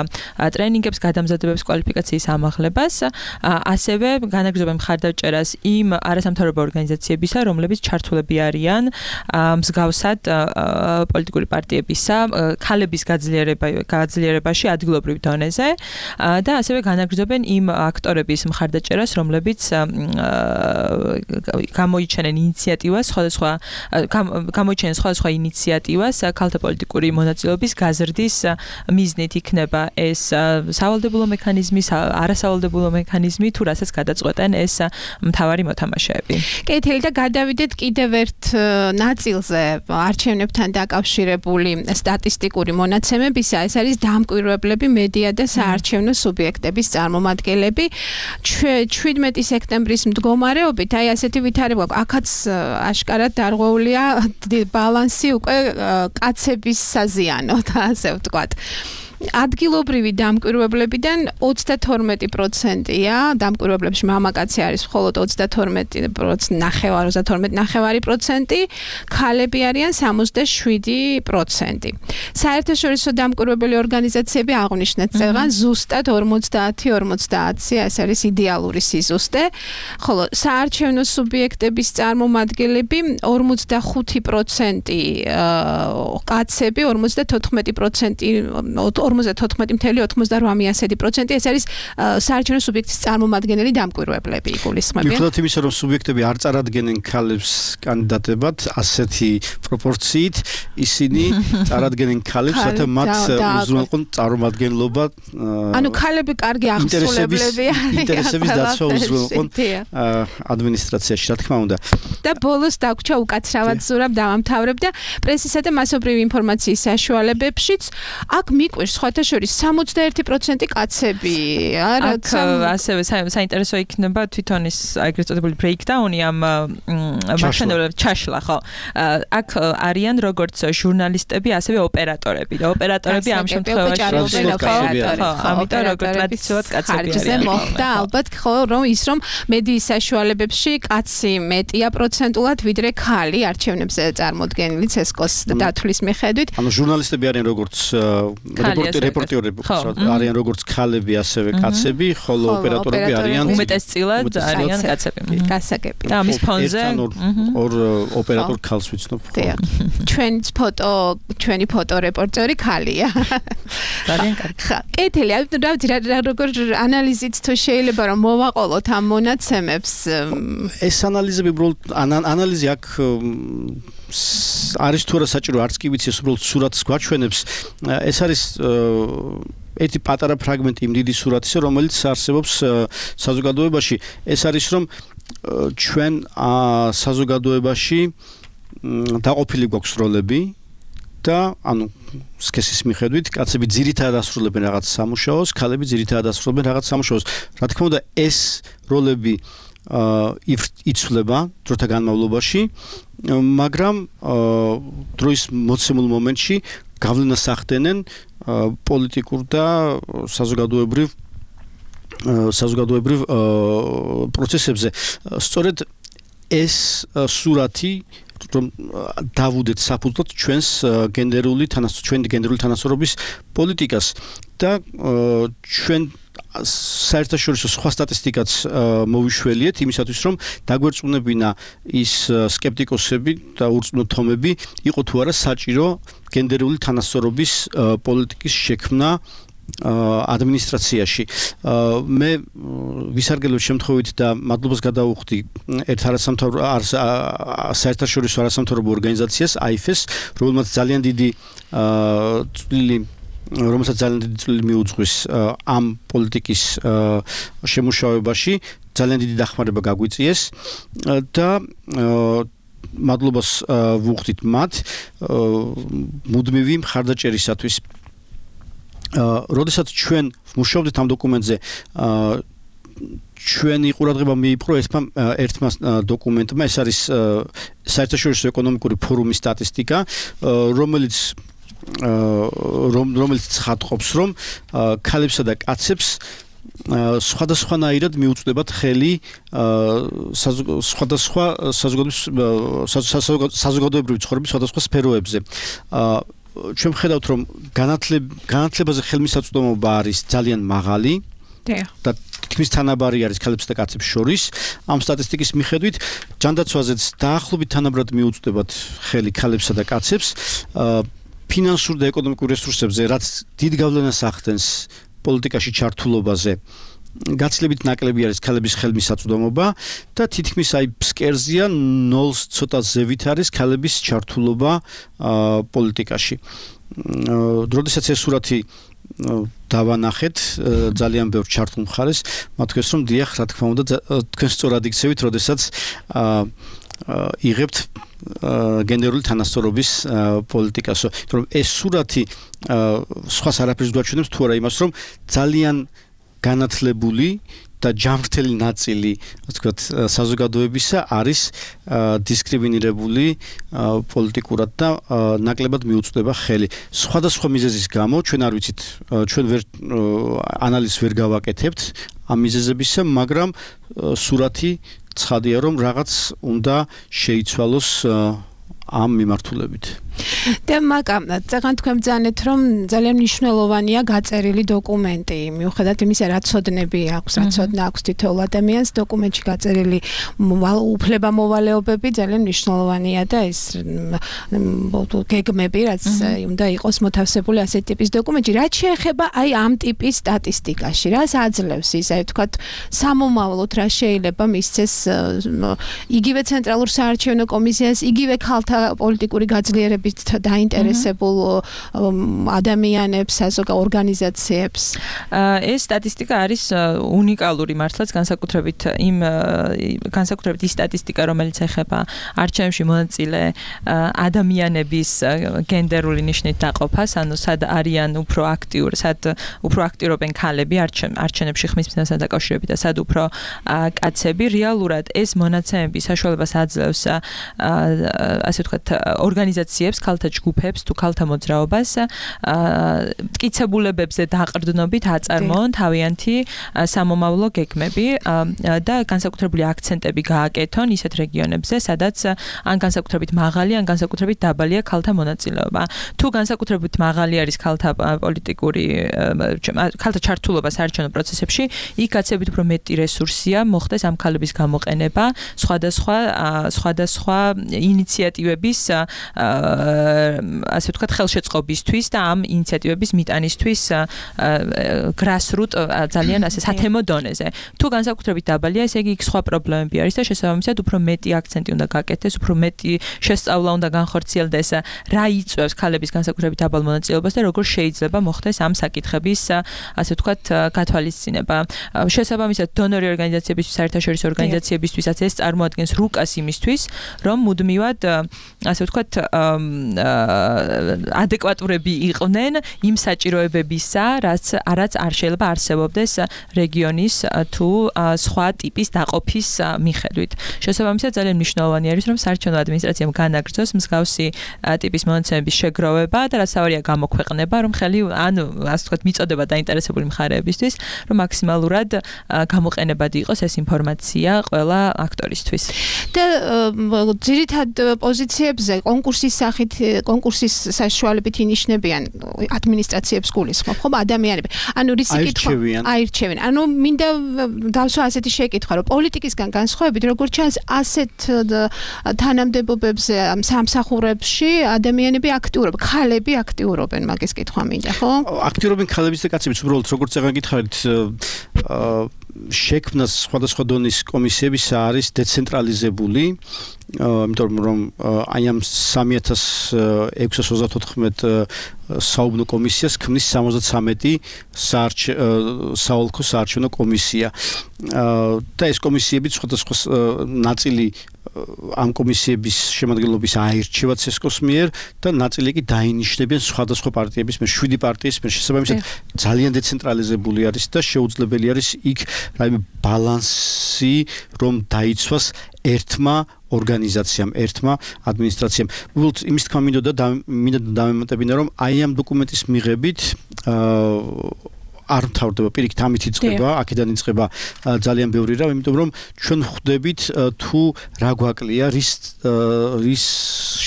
ტრენინგებს, გადამზადებებს, კვალიფიკაციის ამაღლებას. ასევე განაგრძობენ მხარდაჭერას იმ არასამთავრობო ორგანიზაციებისა, რომლებიც ჩართულები არიან მსგავსად პოლიტიკური პარტიებისა, ქალების გაძლიერებაში ადგილობრივ დონეზე და ასევე განაგრძობენ იმ აქტორების მხარდაჭერას, რომლებიც გამოიჩენენ სხვადასხვა ინიციატივას ქალთა პოლიტიკური მონაწილეობის გაზრდის მიზნით, იქნება ეს სავალდებულო მექანიზმი, არასავალდებულო მექანიზმი, თუ რასაც გადაწყვეტენ ეს მთავარი მოთამაშეები. კეთილი და გადავიდეთ კიდევ ერთ ნაწილზე არჩევნებთან დაკავშირებული სტატისტიკური მონაცემებისა, ეს არის დამკვირვებლები, მედია და საარჩევნო სუბიექტების წარმომადგენლები. 17 სექტემბრის მდგომარეობით, აი ასეთი ვითარება გვაქვს, აქაც აშკარად დარღვეულია ბალანსი უკვე კაცების საზიანოდ, ასე ვთქვათ. ადგილობრივი დამკვირვებლებიდან 32%-ია, დამკვირვებლებში მამაკაცი არის მხოლოდ 32.5%, ქალები არიან 67%. საერთაშორისო დამკვირვებელი ორგანიზაციები აღნიშნეთ წელს ზუსტად 50-50, ეს არის იდეალური სიზუსტე, ხოლო საარჩევნო სუბიექტების წარმომადგენლები 45% კაცები, 54.98%, ეს არის საარჩევნო სუბიექტის წარმომადგენელი დამკვირვებლები, იგულისხმებიან. მიუხედავად იმისა, რომ სუბიექტები არ წარადგენენ ქალებს კანდიდატებად, ასეთი პროპორციით ისინი წარადგენენ ქალებს, რათა მათ უზრუნველყონ წარმომადგენლობა. ანუ ქალები კარგი აღსრულებლები არიან. ინტერესების დაცვა უზრუნველყონ ადმინისტრაციაში, რა თქმა უნდა. და ბოლოს დაგვრჩა უკაცრავად ზურაბ დავამთავრებ და პრესისა და მასობრივი ინფორმაციის საშუალებებშიც აქ მიყვირს სხვათა შორის 61% კაცები. არა, ასევე საინტერესო იქნება თვითონ ის ეგრეთ წოდებული breakdown-ი ამ მაშინებელ ჩაშლა, ხო. აქ არიან როგორც ჟურნალისტები, ასევე ოპერატორები. და ოპერატორები ამ შემთხვევაში ამიტომ როგორც ტრადიციულად კაცები არიან. ხარჯზე მოხდა ალბათ ხო რომ ის რომ მედიის საშუალებებში კაცი მეტია პროცენტულად ვიდრე ქალი არჩევნებზე წარმოდგენილი ცესკოს დათვლის მიხედვით. ანუ ჟურნალისტები არიან როგორც რეპორტერები არიან როგორც ქალები, ასევე კაცები, ხოლო ოპერატორები არიან უმეტესწილად არიან კაცები. გასაგები. და ამის ფონზე ორ ოპერატორ ქალს ვიცნობ. ჩვენი ფოტო რეპორტერი ქალია. ძალიან კარგი. ხა, კეთილი, როგორ ანალიზით თუ შეიძლება რომ მოვაყოლოთ ამ მონაცემებს. ეს ანალიზები უბრალოდ ანალიზი აქ არის თუ არა საჭირო, არც კი ვიცი, ეს უბრალოდ სურათს გვაჩვენებს. ეს არის ერთი პატარა ფრაგმენტი იმ დიდი სურათისა, რომელიც არსებობს საზოგადოებაში. ეს არის რომ ჩვენ საზოგადოებაში დაყოფილი გვაქვს როლები და ანუ სქესის მიხედვით კაცები ძირითადად ასრულებენ რაღაც სამუშაოს, ქალები ძირითადად ასრულებენ რაღაც სამუშაოს. რა თქმა უნდა, ეს როლები იცვლება დროთა განმავლობაში, მაგრამ დროის მოცემულ მომენტში გავლენას ახდენენ პოლიტიკურ და საზოგადოებრივ პროცესებზე. სწორედ ეს სურათი რომ დავუდეთ საფუძვლად ჩვენი გენდერული თანასწორობის პოლიტიკას და ჩვენ საერთაშორისო სხვა სტატისტიკაც მოვიშველიეთ იმისათვის რომ დაგვერწმუნებინა ის სკეპტიკოსები და ურწმუნოთომები იყო თუ არა საჭირო გენდერული თანასწორობის პოლიტიკის შექმნა ადმინისტრაციაში. მე ვისარგებლებ შემთხვევით და მადლობას გადავუხდი ერთ საერთაშორისო არასამთავრობო ორგანიზაციას AIFES, რომელსაც ძალიან დიდი წვლილი მიუძღვის ამ პოლიტიკის შემუშავებაში, ძალიან დიდი დახმარება გაგვიწიეს და მადლობას ვუხდით მათ მუდმივი მხარდაჭერისათვის. როდესაც ჩვენ ვმუშაობდით ამ დოკუმენტზე, ჩვენი ყურადღება მიიპყრო ერთმა დოკუმენტმა, ეს არის საერთაშორისო ეკონომიკური ფორუმის სტატისტიკა, რომელიც ცხადყოფს, რომ ქალებსა და კაცებს სხვადასხვანაირად მიუწვდებათ ხელი სხვადასხვა საზოგადოებრივი ცხოვრების სხვადასხვა სფეროებზე. ჩვენ ვხედავთ, რომ განათლებაზე ხელმისაწვდომობა არის ძალიან მაღალი და თითქმის თანაბარი არის ქალებსა და კაცებს შორის. ამ სტატისტიკის მიხედვით ჯანდაცვაზეც დაახლოებით თანაბრად მიუწვდებათ ხელი ქალებსა და კაცებს. ფინანსურ და ეკონომიკურ რესურსებზე, რაც დიდ გავლენას ახდენს პოლიტიკაში ჩართულობაზე, გაცილებით ნაკლები არის ქალების ხელმისაწვდომობა და თითქმის ფსკერზეა 0-ს ცოტა ზევით არის ქალების ჩართულობა პოლიტიკაში. როდესაც ეს სურათი დავანახეთ ძალიან ბევრ ჩართულ მხარეს, მათქვეს რომ დიახ, რა თქმა უნდა, თქვენ სწორად იქცევით, როდესაც იღებთ გენდერული თანასწორობის პოლიტიკას. რომ ეს სურათი სხვას არაფერს გვაჩვენებს თუ არა იმას, რომ ძალიან განათლებული და ჯანმრთელი ნაწილი, ვთქვათ, საზოგადოებისა არის დისკრიმინირებული პოლიტიკურად და ნაკლებად მიუწვდება ხელი. სხვადასხვა მიზეზის გამო ჩვენ არ ვიცით, ჩვენ ანალიზს ვერ გავაკეთებთ ამ მიზეზებისა, მაგრამ სურათი ცხადია, რომ რაღაც უნდა შეიცვალოს ამ მიმართულებით. და მაგრამ წეგან თქვენ ბრძანეთ, რომ ძალიან მნიშვნელოვანია გაწერილი დოკუმენტი, მიუხედავად იმისა, რა ცოდნები აქვს, რა ცოდნა აქვს თითოეულ ადამიანს, დოკუმენტში გაწერილი უფლება-მოვალეობები ძალიან მნიშვნელოვანია და ეს გეგმები, რაც უნდა იყოს მოთავსებული ასეთი ტიპის დოკუმენტში. რაც შეეხება აი ამ ტიპის სტატისტიკაში, რას აძლევს ის, აი ვთქვათ, სამომავლოდ რა შეიძლება მისცეს იგივე ცენტრალურ საარჩევნო კომისიას, იგივე ქალთა პოლიტიკური გაძლიერების არჩევნებით დაინტერესებულ ადამიანებს, საზოგადო ორგანიზაციებს? ეს სტატისტიკა არის უნიკალური მართლაც განსაკუთრებით ის სტატისტიკა, რომელიც ეხება არჩევნებში მონაწილე ადამიანების გენდერული ნიშნით დაყოფას, ანუ სად არიან უფრო აქტიურობენ ქალები არჩევნებში ხმის მიზნასთან დაკავშირებით და სად უფრო კაცები. რეალურად ეს მონაცემები საშუალებას აძლევს ასე ვთქვათ ორგანიზაციებს, ქალთა ჯგუფებს თუ ქალთა მოძრაობას მტკიცებულებებზე დაყრდნობით აწარმოონ თავიანთი სამომავლო გეგმები და განსაკუთრებული აქცენტები გააკეთონ ისეთ რეგიონებზე, სადაც ან განსაკუთრებით მაღალი, ან განსაკუთრებით დაბალია ქალთა მონაწილეობა. თუ განსაკუთრებით მაღალი არის ქალთა ჩართულობა საარჩევნო პროცესებში, იქ გაცილებით უფრო მეტი რესურსია მოხდეს ამ ქალების გამოყენება სხვადასხვა ინიციატივების ასე ვთქვათ ხელშეწყობისთვის და ამ ინიციატივების მიტანისთვის grassroot ძალიან ასე სათემო დონეზე. თუ განსაკუთრებით დაბალია, ესე იგი იქ სხვა პრობლემები არის და შესაბამისად უფრო მეტი აქცენტი უნდა გაკეთდეს, უფრო მეტი შესწავლა უნდა განხორციელდეს, რა იწვევს ქალების განსაკუთრებით დაბალ მონაწილეობას და როგორ შეიძლება მოხდეს ამ საკითხების ასე ვთქვათ გათვალისწინება. შესაბამისად დონორი ორგანიზაციებისთვის, საერთაშორისო ორგანიზაციებისთვისაც ეს წარმოადგენს რუკას იმისთვის, რომ მუდმივად ასე ვთქვათ ადეკვატურები იყვნენ იმ საჭიროებებისა, რაც არ შეიძლება არსებობდეს რეგიონის თუ სხვა ტიპის დაყოფის მიხედვით. შესაბამისად ძალიან მნიშვნელოვანი არის, რომ საარჩევნო ადმინისტრაციამ განაგრძოს მსგავსი ტიპის მონაცემების შეგროვება და რაც თავარია გამოქვეყნება, რომ ანუ ასე ვთქვათ მიწოდება დაინტერესებული მხარეებისთვის, რომ მაქსიმალურად გამოყენებადი იყოს ეს ინფორმაცია ყველა აქტორისთვის. და ძირითად პოზიციებზე კონკურსის საშუალებით ინიშნებიან ადმინისტრაციებს გულისხმობ, ხო, ადამიანები. ანუ რისი კითხვა აირჩევიან. ანუ მინდა დავსვა ასეთი შეკითხვა, რომ პოლიტიკისგან განსხვავებით, როგორც ჩანს, ასეთ თანამდებობებზე სამსახურებში ადამიანები აქტიურობენ, ქალები აქტიურობენ, მაგის კითხვა მინდა, ხო? აქტიურობენ ქალებიც და კაცებიც, უბრალოდ როგორც წეგან გითხარით, შექმნას სხვადასხვა დონის კომისიების არის დეცენტრალიზებული, იმიტომ რომ აი ამ 3634 საუბნო კომისიას ქმნის 73 საოლქო საარჩევნო კომისია. და ეს კომისიები სხვადასხვა ნაწილი ამ კომისიების შემადგენლობის აირჩევა ცესკოს მიერ და ნაწილი კი დაინიშნებიან სხვადასხვა პარტიების მიერ, 7 პარტიის მიერ. შესაბამისად ძალიან დეცენტრალიზებული არის და შეუძლებელი არის იქ რაიმე ბალანსი რომ დაიცვას ერთმა ორგანიზაციამ, ერთმა ადმინისტრაციამ. უბრალოდ იმის თქმა მინდოდა დამემატებინა, რომ აი ამ დოკუმენტის მიღებით არ მთავრდება პირიქით ამით იწყება, აქედან იწყება ძალიან ბევრი რამ, იმიტომ რომ ჩვენ ხვდებით თუ რა გვაკლია, რის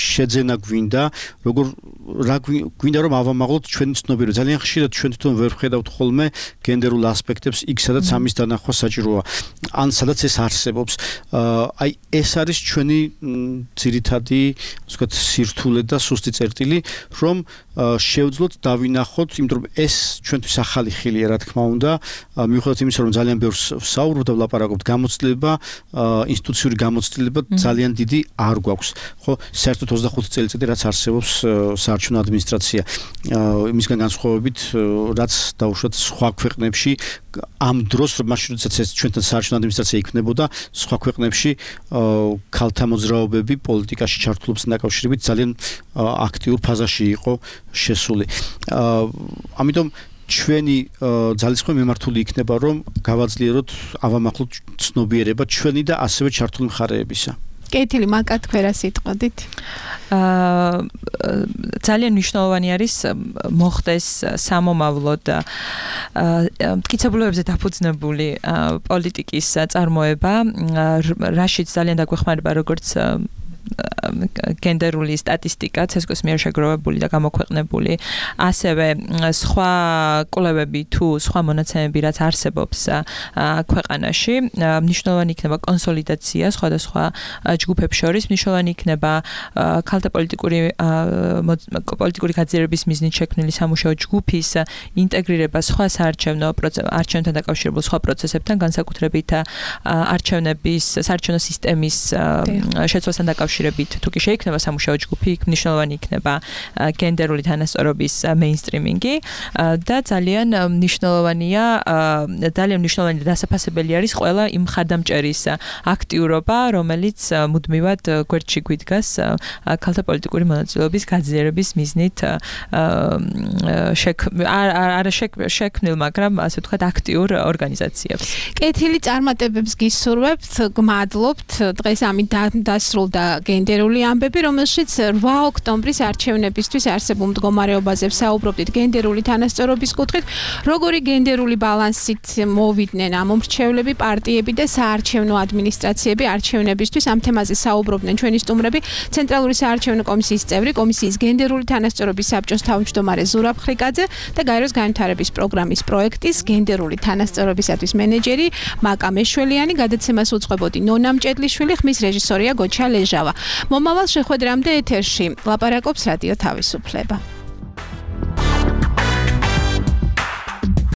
შეძენა გვინდა, რა გვინდა რომ ავამაღლოთ ჩვენი ცნობიერება. ძალიან ხშირად ჩვენ თვითონ ვერ ვხედავთ ხოლმე გენდერულ ასპექტებს იქ, სადაც ამის დანახვა საჭიროა. ან სადაც ეს არსებობს. აი ეს არის ჩვენი ძირითადი, ასე ვთქვათ, სირთულე და სუსტი წერტილი, რომ შევძლოთ დავინახოთ, იმიტომ რომ ეს ჩვენთვის ახალი ხილია, რა თქმა უნდა, მიუხედავად იმისა, რომ ძალიან ბევრს ვსაუბრობ და ვლაპარაკობ, გამოცდილება, ინსტიტუციური გამოცდილება ძალიან დიდი არ გვაქვს. ხო, საერთოდ 25 წელიწადი რაც არსებობს საარჩევნო ადმინისტრაცია. იმისგან განსხვავებით, რაც დაუშვათ სხვა ქვეყნებში ამ დროს, მაშინ როდესაც ეს ჩვენთან საარჩევნო ადმინისტრაცია იქმნებოდა, სხვა ქვეყნებში ქალთა მოძრაობები პოლიტიკაში ჩართულობასთან დაკავშირებით ძალიან აქტიურ ფაზაში იყო შესული. ამიტომ ჩვენი ძალისხმევა მიმართული იქნება, რომ გავაძლიეროთ ავამახლოთ ცნობიერება ჩვენი და ასევე ჩართული მხარეებისა. კეთილი, მაგათ ქვერა სიტყვით. ძალიან მნიშვნელოვანი არის მოხდეს სამომავლოდ მტკიცებულებებზე დაფუძნებული პოლიტიკის წარმოება, რაშიც ძალიან დაგვეხმარება როგორც გენდერული სტატისტიკა ცესკოს მიერ შეგროვებული და გამოქვეყნებული, ასევე სხვა კვლევები თუ სხვა მონაცემები, რაც არსებობს ქვეყანაში, მნიშვნელოვანი იქნება კონსოლიდაცია სხვადასხვა ჯგუფებს შორის, მნიშვნელოვანი იქნება ქალთა პოლიტიკური გაძლიერების მიზნით შექმნილი სამუშაო ჯგუფის ინტეგრირება სხვა არჩევნებთან დაკავშირებულ სხვა პროცესებთან, განსაკუთრებით საარჩევნო სისტემის შეცვლასთან დაკავშირებით დაკავშირებით თუ კი შეიქმნება სამუშაო ჯგუფი, იქ მნიშვნელოვანი იქნება გენდერული თანასწორობის მეინსტრიმინგი და ძალიან მნიშვნელოვანია დასაფასებელი არის ყველა იმ მხარდამჭერის აქტიურობა, რომელიც მუდმივად გვერდში გვიდგას ქალთა პოლიტიკური მონაწილეობის გაძლიერების მიზნით შექმნილ, მაგრამ ასე ვთქვათ, აქტიურ ორგანიზაციებს. კეთილი წარმატებებს გისურვებთ, გმადლობთ. დღეს ამით დასრულდა გენდერული ამბები, რომელშიც 8 ოქტომბრის არჩევნებისთვის არსებულ მდგომარეობაზე ვსაუბრობდით გენდერული თანასწორობის კუთხით, როგორი გენდერული ბალანსით მოვიდნენ ამ მომრჩევლები, პარტიები და საარჩევნო ადმინისტრაციები არჩევნებისთვის. ამ თემაზე საუბრობდნენ ჩვენი სტუმრები, ცენტრალური საარჩევნო კომისიის წევრი, კომისიის გენდერული თანასწორობის საბჭოს თავმჯდომარე ზურაბ ხრიკაძე და გაეროს განვითარების პროგრამის პროექტის გენდერული თანასწორობისათვის მენეჯერი მაკა მეშველიანი. გადაცემას უწყებოდი ნონა მჭედლიშვილი, ხმის რეჟისორია გოჩა ლეჟავა. მომავალ შეხვედრამდე ეთერში ლაპარაკობს რადიო თავისუფლება.